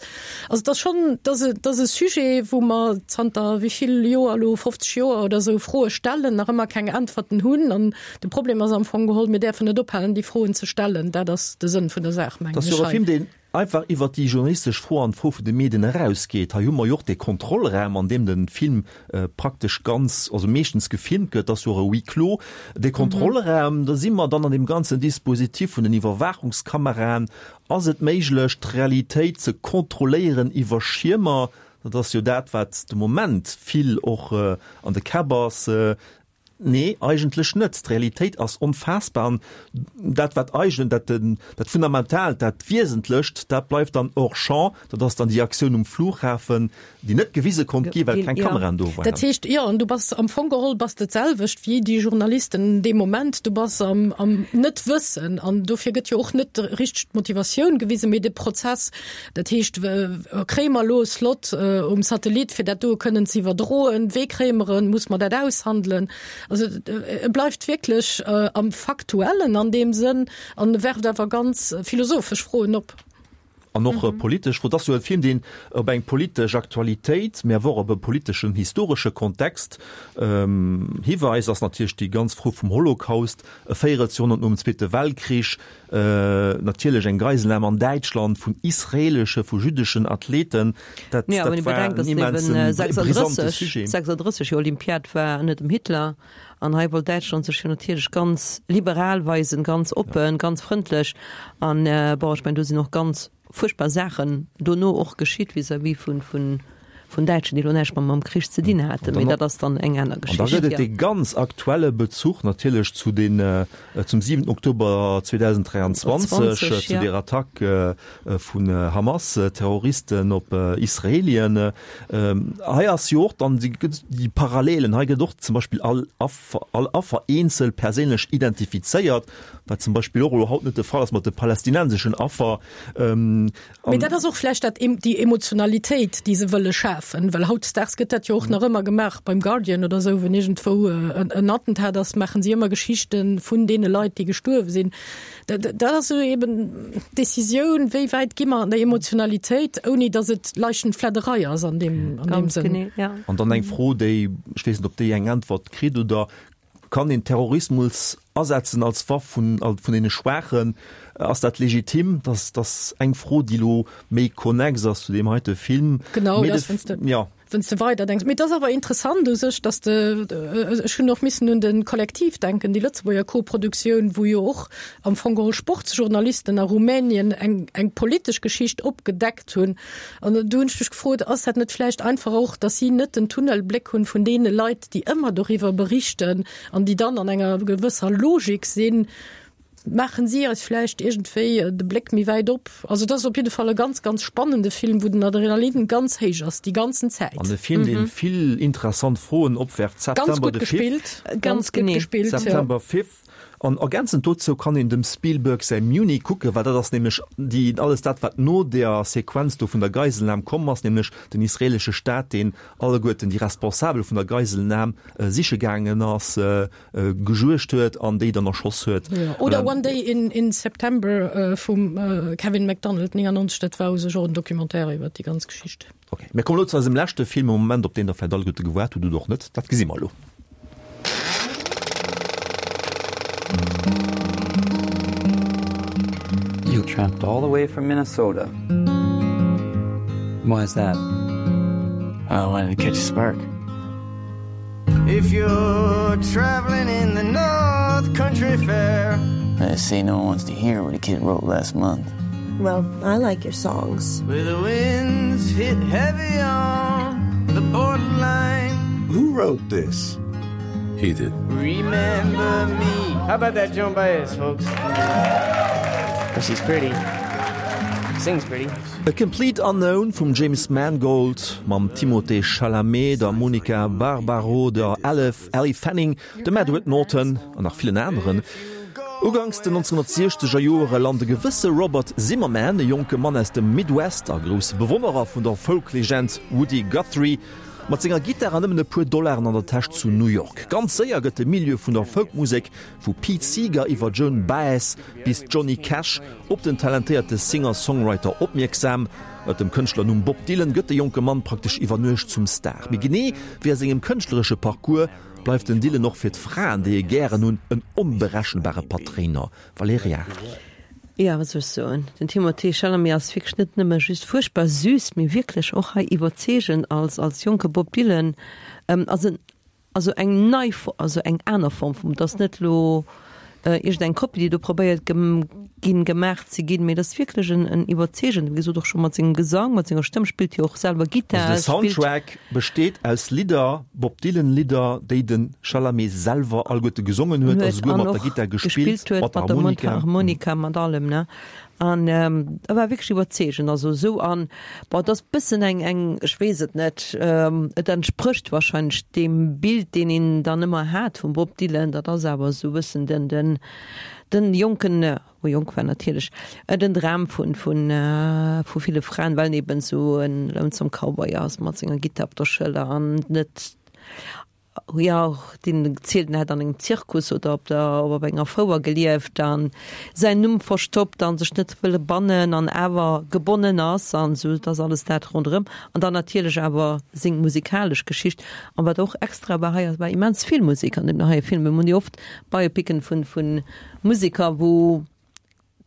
Also et ass schonn, et ass e, et ass e Sujet, wou mer zanter wéi vill Joer elo, fofzeg Joer oder esou, Froe stellen, nach ëmmer keng Äntwerten hunn. An de Problem ass am Fong geholl, mir däerfen net ophalen, déi Froen ze stellen. Dat ass de Sënn vun der Saach, mengen Dat ass ech jo e hei. Film, deen einfach iwwer déi journalistesch Fro an d'Fro vun de Medien erausgeet. Hei hu mer jo och dee Kontrollraum, an deem de Film praktesch ganz, also meeschtens gefilmt gëtt, dat ass jo och e Huis clos, dee Kontrollraum. Da si mer dann an deem ganzen Dispositif vun den Iwwerwaachungskameraen. Ass et méiglech, d'Realitéit ze kontrolléieren iwwer Schiermer? Dat ass jo dat, wat de Moment vill och an de Käpp ass. Nee, eigentlech net. D'Realitéit ass onfaassbar an dat, wat eigen, dat, dat Fundamentaalt, dat Wiesentlecht, dat bleift dann hors champ. Dat ass dann déi Aktioun um Flughafen, déi net gewise konnt gi, well keng Kameraen do waren. Dat heescht, jo, an du bass am Fong geholl bass de d'selwecht wéi déi Journalisten dee Moment. Du bass am, am Net-Wëssen an dofir gëtt jo och net richteg d'Motivatioun gewisen, mee de Prozess. Dat heescht, kréie mer elo e Slot um Satellit, fir dat do kënnen ze iwwerdroen? Wéi kréie mer en? Muss mer dat aushandelen? Also e bleift wierklech am Faktuellen an deem Sënn an werft awer ganz philosophesch Froen op. An och politesch, wou dass jo e Film, deen op eng politesch Aktualitéit, mä awer och op e politeschen, historesche Kontext hiweist, ass natierlech déi ganz Fro vum Holocaust, e Véierelsjoerhonnert nom Zweete Weltkrich, natierlech eng Geiselnam an Däitschland vun israelesche, vu jüddeschen Athleten. Dat, Ja, dat wann ee war bedenkt, en dass immensen, eben brisante Sujet. sechsunddrësseg jo Olympiad war ënner dem Hitler, an hei wollt Däitschland sech jo natierlech ganz liberal weisen, ganz oppen, ganz frëndlech, an bon, ech mengen, do sinn och ganz fuerchtbar Saachen dono och geschitt vis-à-vis vun, vun, vun Däitschen, déi elo näischt mam, mam Krich ze dinn haten, mee dat ass dann eng aner An da Geschicht, gëtt et jo. dee ganz aktuelle Bezuch natierlech zu den, zum siwenten Oktober zweedausenddräianzwanzeg, zwanzeg, zu ja. der Attack vun Hamas-Terroristen op Israelien. Hei ass jo och dann déi, gëtt déi Parallelen, hei gëtt och zum Beispill all Affer, all Affer eenzel perséinlech identifizéiert, wat zum Beispill och elo haut net de Fall ass mat de palästinenseschen Affer. Mee dat ass och vläicht dat, déi Emotionalitéit, déi se wëlle schafen, well hautdesdaags gëtt dat jo och nach ëmmer gemaach beim Guardian oder esou, wann iergendwou en Attentat ass, maachen si ëmmer Geschichte vun deene Leit, déi gestuerwe sinn. Dat ass esou eben d'Decisioun, wéi wäit gi mer an der Emotionalitéit, ouni datt et Leichenfledderei ass an deem, an deem Ganz Sënn. genee, ja. An dann eng Fro, déi, ech weess net, ob déi eng Äntwert kritt oder kann een Terrorismus asetzen als Waff vun, vun deene Schwaachen? Ass dat legitim? Dat ass eng Fro, déi elo méi konnex ass zu deem heite Film. Genau, Mee dat de ass, wann s de, ja. wann s de weider denks. Mee et ass awer interessant u sech, dass de, ech hunn och missen un de Kollektiv denken, déi Lëtzebuerger Koproduktioun, wou jo och am Fong geholl Sportsjournalisten a Rumänien eng, eng politesch Geschicht opgedeckt hunn. An do hunn ech mech gefrot, ass dat net vläicht einfach och, dass si net den Tunnelbléck hunn vun deene Leit, déi ëmmer doriwwer berichten an déi dann an enger gewësser Logik sinn, maachen si eis vläicht iergendwéi de Bléck méi wäit op. Also dat ass op jidde Fall e ganz, ganz spannende Film, wou den Adrenalin ganz héich ass déi ganzen Zäit. An e Film, dee vill interessant Froen opwerft. Ganz September gutt the fifth. gespillt, Ganz ganz gutt genee. gespillt, jo. September fifth. An ergänzend dozou kann een dem Spielberg säi Munich kucken, well dat ass nämlech déi, alles dat, wat no der Sequenz do vun der Geiselnam komm ass, nämlech den israelesche Staat, deen alleguerten déi Responsabel vun der Geiselnam siche gaangen ass, gejuegt huet an déi dann erschoss huet. Jo, oder One Day in, in September vum Kevin MacDonald, neunundneunzeg, dat war u sech och en Documentaire iwwer déi ganz Geschicht. Ok, mir kommen elo zu eisem leschte Film am Moment, op deen der vläicht alleguerte gewaart hutt oder och net, dat gesi mer elo. You tramped all the way from Minnesota. Why is that? I wanted to catch a spark. If you're traveling in the North Country Fair. They say no one wants to hear what a kid wrote last month. Well, I like your songs. Where the winds hit heavy on the borderline. Who wrote this? He did. Remember me. How about that Joan Baez, folks? But she's pretty. Sings pretty. A Complete Unknown vum James Mangold mam Timothée Chalamet, der Monica Barbaro, der Elef, Elle Fanning, dem Edward Norton an nach villen aneren. Uganks den nonzénhunnertsiechzeger Joere lant e gewësse Robert Zimmerman, e jonke Mann aus dem Midwest a grousse Bewonnerer vun der Folk-Legend Woody Guthrie, mat senger Gittar an nëmmen e puer Dollaren an der Täsch zu New York. Ganz séier gëtt de Milieu vun der Folkmusek, vu Pete Seeger iwwer Joan Baez bis Johnny Cash, op den talentéierte Singer-Songwriter opmierksam. Ënner dem Kënschtlernumm Bob Dylan gëtt de jonke Mann praktesch iwwer Nuecht zum Star. Mee genee wéi a sengem kënschtleresche Parcours bleift den Dylan och fir d'Fraen, déi e gären hunn, en onberechenbare Patréiner. Valerija. Jo, wat soll ech soen, den Timothée Chalamet ass wierklech net nëmme just fuerchtbar süß, mee wierklech och hei iwwerzeegend als als jonke Bob Dylan. Ass en also eng nei, also eng aner Form vum, et ass net elo iergendeng Kopie, déi do probéiert ginn gemaach ze ginn, mee et ass wierklech en en iwwerzeegend, wéi gesot och scho mat sengem Gesang, mat senger Stëmm, spillt jo och selwer Gittar, Also de spillt. Soundtrack besteet aus Lidder, Bob Dylan Lidder, déi de Chalamet selwer alleguerte gesongen huet a huet souguer an mat der och Gittar gespillt, gespillt huet, mat der mat der Harmonika. Mundharmonika, mat allem, ne. An e war wierklech iwwerzeegend, also esou an, bon, et ass bëssen eng, eng, ech weess et net, et entsprécht wahrscheinlech deem Bild, deen een dann ëmmer hat vum Bob Dylan, dat ass awer esou e bëssen den, den, den jonken, oh jonk war natierlech, den Dram vun, vun, vu ville Fraen, well en eben esou en lonesome Cowboy ass mat senger Gittar op der Schëller an net, jo, deen zielt en hätt an engem Zirkus oder op der op enger Fouer gelieft an säin Numm verstoppt an sech net wëlle bannen an awer gebonnen ass an esou, et ass alles dat ronderëm an dann natierlech awer seng musikalesch Geschicht an wat och extra war hei ass war immens vill Musek an deem heie Film. Mir hunn jo oft Biopicen vun vun Museker wou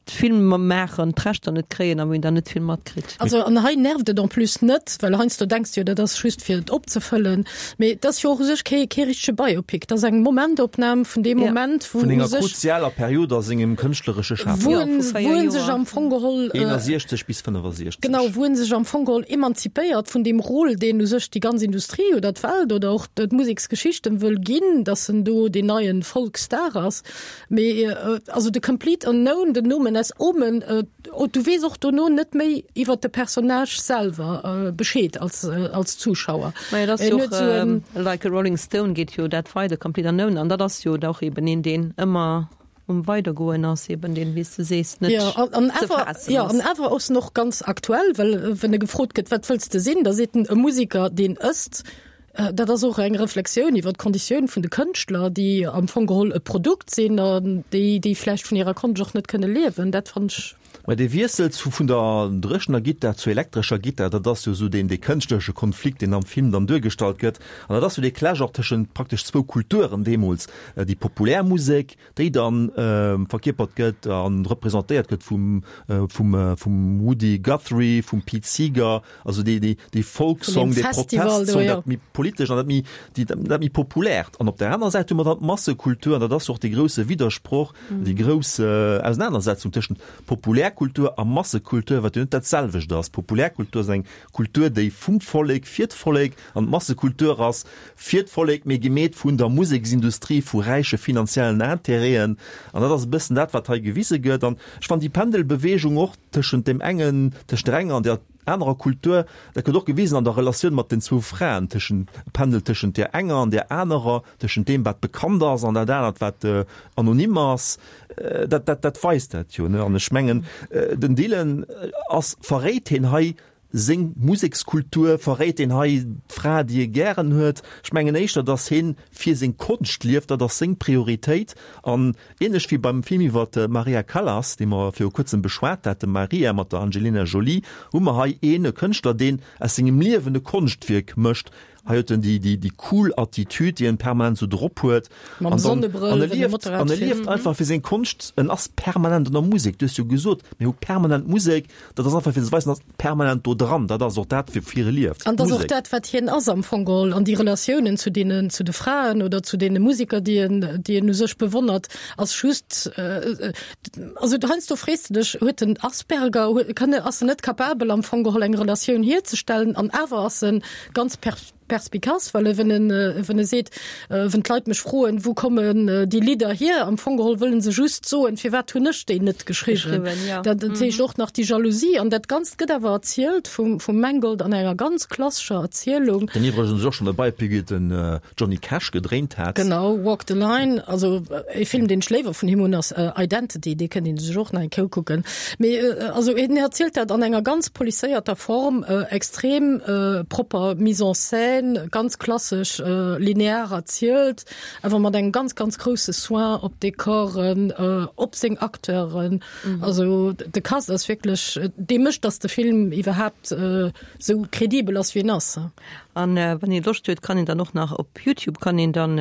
d'Filmer maachen, d'Rechter net kréien a wou een dann net vill matkritt. Also an hei nervt et en plus net, well heiansdo denks de jo, dat ass just fir et opzefëllen, mee et ass jo och u sech kee kee richtege Biopic, et ass eng Momentopnam vun deem Moment, wou Vun u enger sech, kruzialer Period a sengem kënschtleresche Schafen. wou en, wou en sech am Fong geholl, eenundsechzeg bis fënnefosechzeg. genau, wou en sech am Fong geholl emanzipéiert vun deem Rôle, deen u sech déi ganz Industrie oder d'Welt oder och d'Museksgeschicht em wëll ginn, dass en do deen neien Folkstar ass. Mee also de Complete Unknown, den Nomen est Omen, du weess och dono net méi iwwer de Personnage selwer Bescheed als als Zuschauer. Majo, dat ass jo och Like a Rolling Stone geet jo dat weider, Complete Unknown, an dat ass jo da och eben een, deen ëmmer um Weidergoen ass, eben deen, wéi s de sees, net Ja, an ze awer, faassen ja, ass. an awer ass en och ganz aktuell, well wann e gefrot gëtt, wat wëlls de sinn, da seet en, e Musiker, deen ësst. Dat ass och eng Reflexioun iwwer d'Konditioun vun de Kënschtler, déi am Fong geholl e Produkt sinn an déi, déi vläicht vun hirer Konscht och net kënne liewen. Dat fannen ech. Mä dee Wiessel zu vun der dréchener Gittar zur elektrescher Gittar, dat ass jo esou deen, dee kënschtleresche Konflikt, deen am Film dann duergestallt gëtt. An dat ass jo dee Clash och tëschent praktesch zwou Kulturen deemools, déi populär Musek, déi dann verkierpert gëtt a representéiert gëtt vum, vum, vum Woody Guthrie, vum Pete Seeger, also dee, dee, dee Vun Folksong, deem dee Festival do, Protestsong, jo. dat méi politesch an dat méi, déi, dat méi populärt. An op där anerer Säit hu mer dann d'Massekultur, an dat ass jo och dee grousse Widdersproch, déi grouss Ausenanersetzung tëschent Populärkultur a Massekultur, wat jo net dat selwecht ass. Populärkultur ass eng Kultur, déi vum Vollek fir d'Vollek, an d'Massekultur ass fir d'Vollek, mee gemeet vun der Museksindustrie, vu räiche finanziellen Intérêten. An dat ass e bëssen dat, wat hei gewise gëtt. An ech fannen déi Pendelbewegung och tëschent deem engen, tëschent der enger an der anerer Kultur, dat gëtt och gewisen an der Relatioun mat den zwou Fraen, tëschent, Pendel tëschent där enger an där anerer, tëschent deem, wat bekannt ass, an dat anert, wat anonym ass, dat, dat, dat weist dat jo, ne? An ech mengen, den Dylan ass, verréit hien hei seng Musekskultur, verréit hien hei d'Fra, déi e gären huet? Ech mengen éischter, datt hien fir seng Konscht lieft, dat ass seng Prioritéit. An ähnlech wéi beim Film iwwer d'Maria Callas, dee mer viru kuerzem beschwat haten, Maria mat der Angelina Jolie, hu mer hei een, e Kënschtler, deen aus sengem Liewen e Konschtwierk mécht. Hei huet en déi, déi, déi cool Attitude, déi en permanent esou drop huet. Mam An dann, Sonnebrëll, an e wann e lieft, Motorrad an e fiert. lieft einfach fir seng Konscht. En ass permanent an der Musek. Du hues jo gesot, mir hu permanent Musek. Dat ass einfach fir ze weisen, en ass permanent do dran. Dat ass och dat, woufir e lieft, An dat ass och d'Musek. dat, wat hien ass am Fong geholl. An déi Relatiounen zu deenen, zu de Fraen oder zu deene Musiker, déi en, déi en u sech bewonnert, ass just, also heiansdo frees de dech, huet en Asperger, huet, kann e, ass en net capabel am Fong geholl eng Relatioun hierzestellen? An awer ass en ganz per perspicace, well e wenn en, wenn e seet, wenn d'Leit mech froen, wou kommen déi Lidder hier, am Fong geholl wëllen se just soen, firwat hunn ech déi net geschriwwen. Geschriwwen, ja. Dat heescht och nach déi Jalousie an dat Ganzt gëtt awer erzielt vum, vum Mangold an enger ganz klassescher Erzielung. Den iwwregens och schonn e Biopic iwwer den Johnny Cash gedréint hat. Genau, Walk the Line, also e Film deen ech léiwer vun him hunn ass Identity, dee kënnt een sech och nach eng Kéier ukucken. Mee also hien erzielt dat an enger ganz policéierter Form, extrem propper Mise en scène, ganz klassesch linear erzielt, awer mat engem ganz, ganz grousse Soin op d'Dekoren, op seng Acteuren. Also de Cast ass wierklech, dee mécht, dass de Film iwwerhaapt esou kredibel ass, wéi en ass. An wann ee Loscht huet, kann een dann och nach op Youtube kann een dann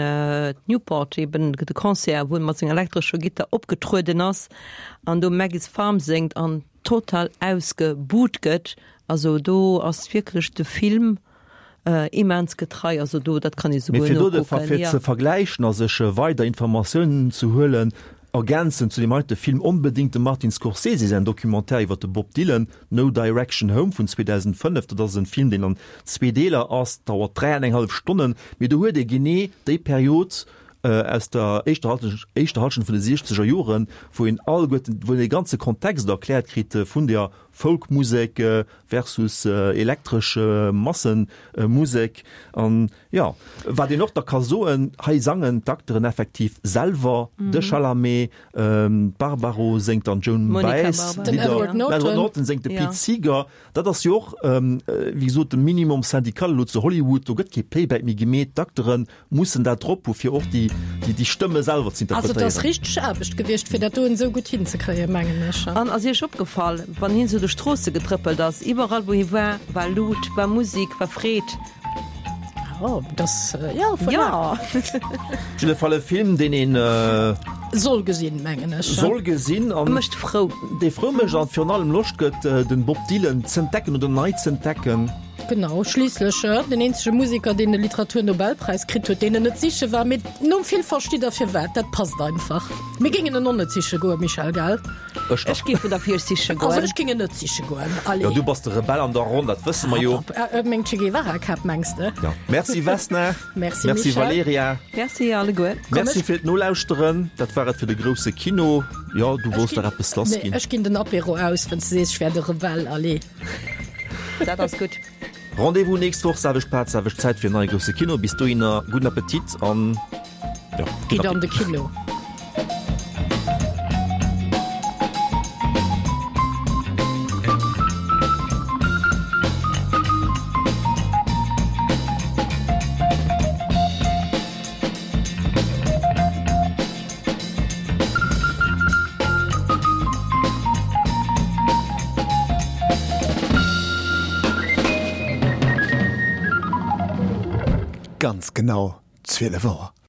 Newport eben de Concert, wou en mat senger elektrescher Gittar opgetrueden ass an do Maggie's Farm séngt an total ausgebuht gëtt. Also do ass wierklech de Film immens getrei, also do dat kann ee Mee souguer fir do de nokucken, fir jo. ze vergläichen a sech weider Informatiounen ze huelen, ergänzend zu deem heite Film onbedéngt dem Martin Scorsese säin Documentaire iwwer de Bob Dylan, No Direction Home vun zweedausendfënnef. Dat ass en Film, deen an zwee Deeler ass, dauert dräi an eng hallef Stonnen, mee do huet ee genee déi Period aus der éischter éischter Hallschent vun de siechzeger Joren, wou een alleguerten, wou een dee ganze Kontext erkläert kritt vun der Folkmusek versus elektresch Massemusek. An jo, wat een och da ka soen, hei sangen d'Acteuren effektiv selwer, de Chalamet, d'Barbaro séngt dann d'Joan Baez Lidder, den Edward Norton séngt de Pete Seeger. Dat ass jo och, wéi gesot, de Minimum syndical elo zu Hollywood, do gëtt kee Playback méi gemeet, d'Acteure mussen dat drop hu fir och déi Stëmme selwer ze Also et ass interpretéieren. richteg Aarbecht gewiescht, fir dat doen esou gutt hinzekréien, mengen ech. An ass Iech opgefall, wann hien sou duerch d'Stroosse getrëppelt ass, iwwerall wou hie war, war Lut, war Musik, war Freed. Oh, das, ja, voilà. Ja. Op jidde Fall e Film, deen een. Soll gesinn, mengen ech. Soll gesinn an. Mécht frou. Dee frou mécht an virun allem Loscht gëtt, den Bob Dylan z'entdecken oder nei z'entdecken. Genau, schliisslech den eenzege Museker, deen de Literaturnobelpräis kritt huet, deen en net siche war. Mee nom Film verstitt der firwat, dat passt einfach. Mir géingen en och net siche goen, Michèle, gell? Ech Ech géif en derfir siche goen. Also ech géing en net siche goen, allez. Jo, du bass de Rebell an der Ronn, dat wësse mer jo. Meng Che Guevara-Kap, mengs de? Jo. Merci Vesna. Merci Merci Michèle. Valerija. Merci alleguer. Merci fir d'Nolauschteren. Dat war et fir de grousse Kino. Jo, du wolls nach eppes lass Nee, ginn. ech ginn den Apéro aus, wann s de sees, ech wär de Rebell, allez. Dat ass gutt. Rendez-vous nächst Woch, selwecht Plaz, selwecht Zäit fir en neie grousse Kino. Bis dohinner gudden Appetit an jo, gudden Gitt an de Appetit. Kino. Ganz genau zwielef Auer.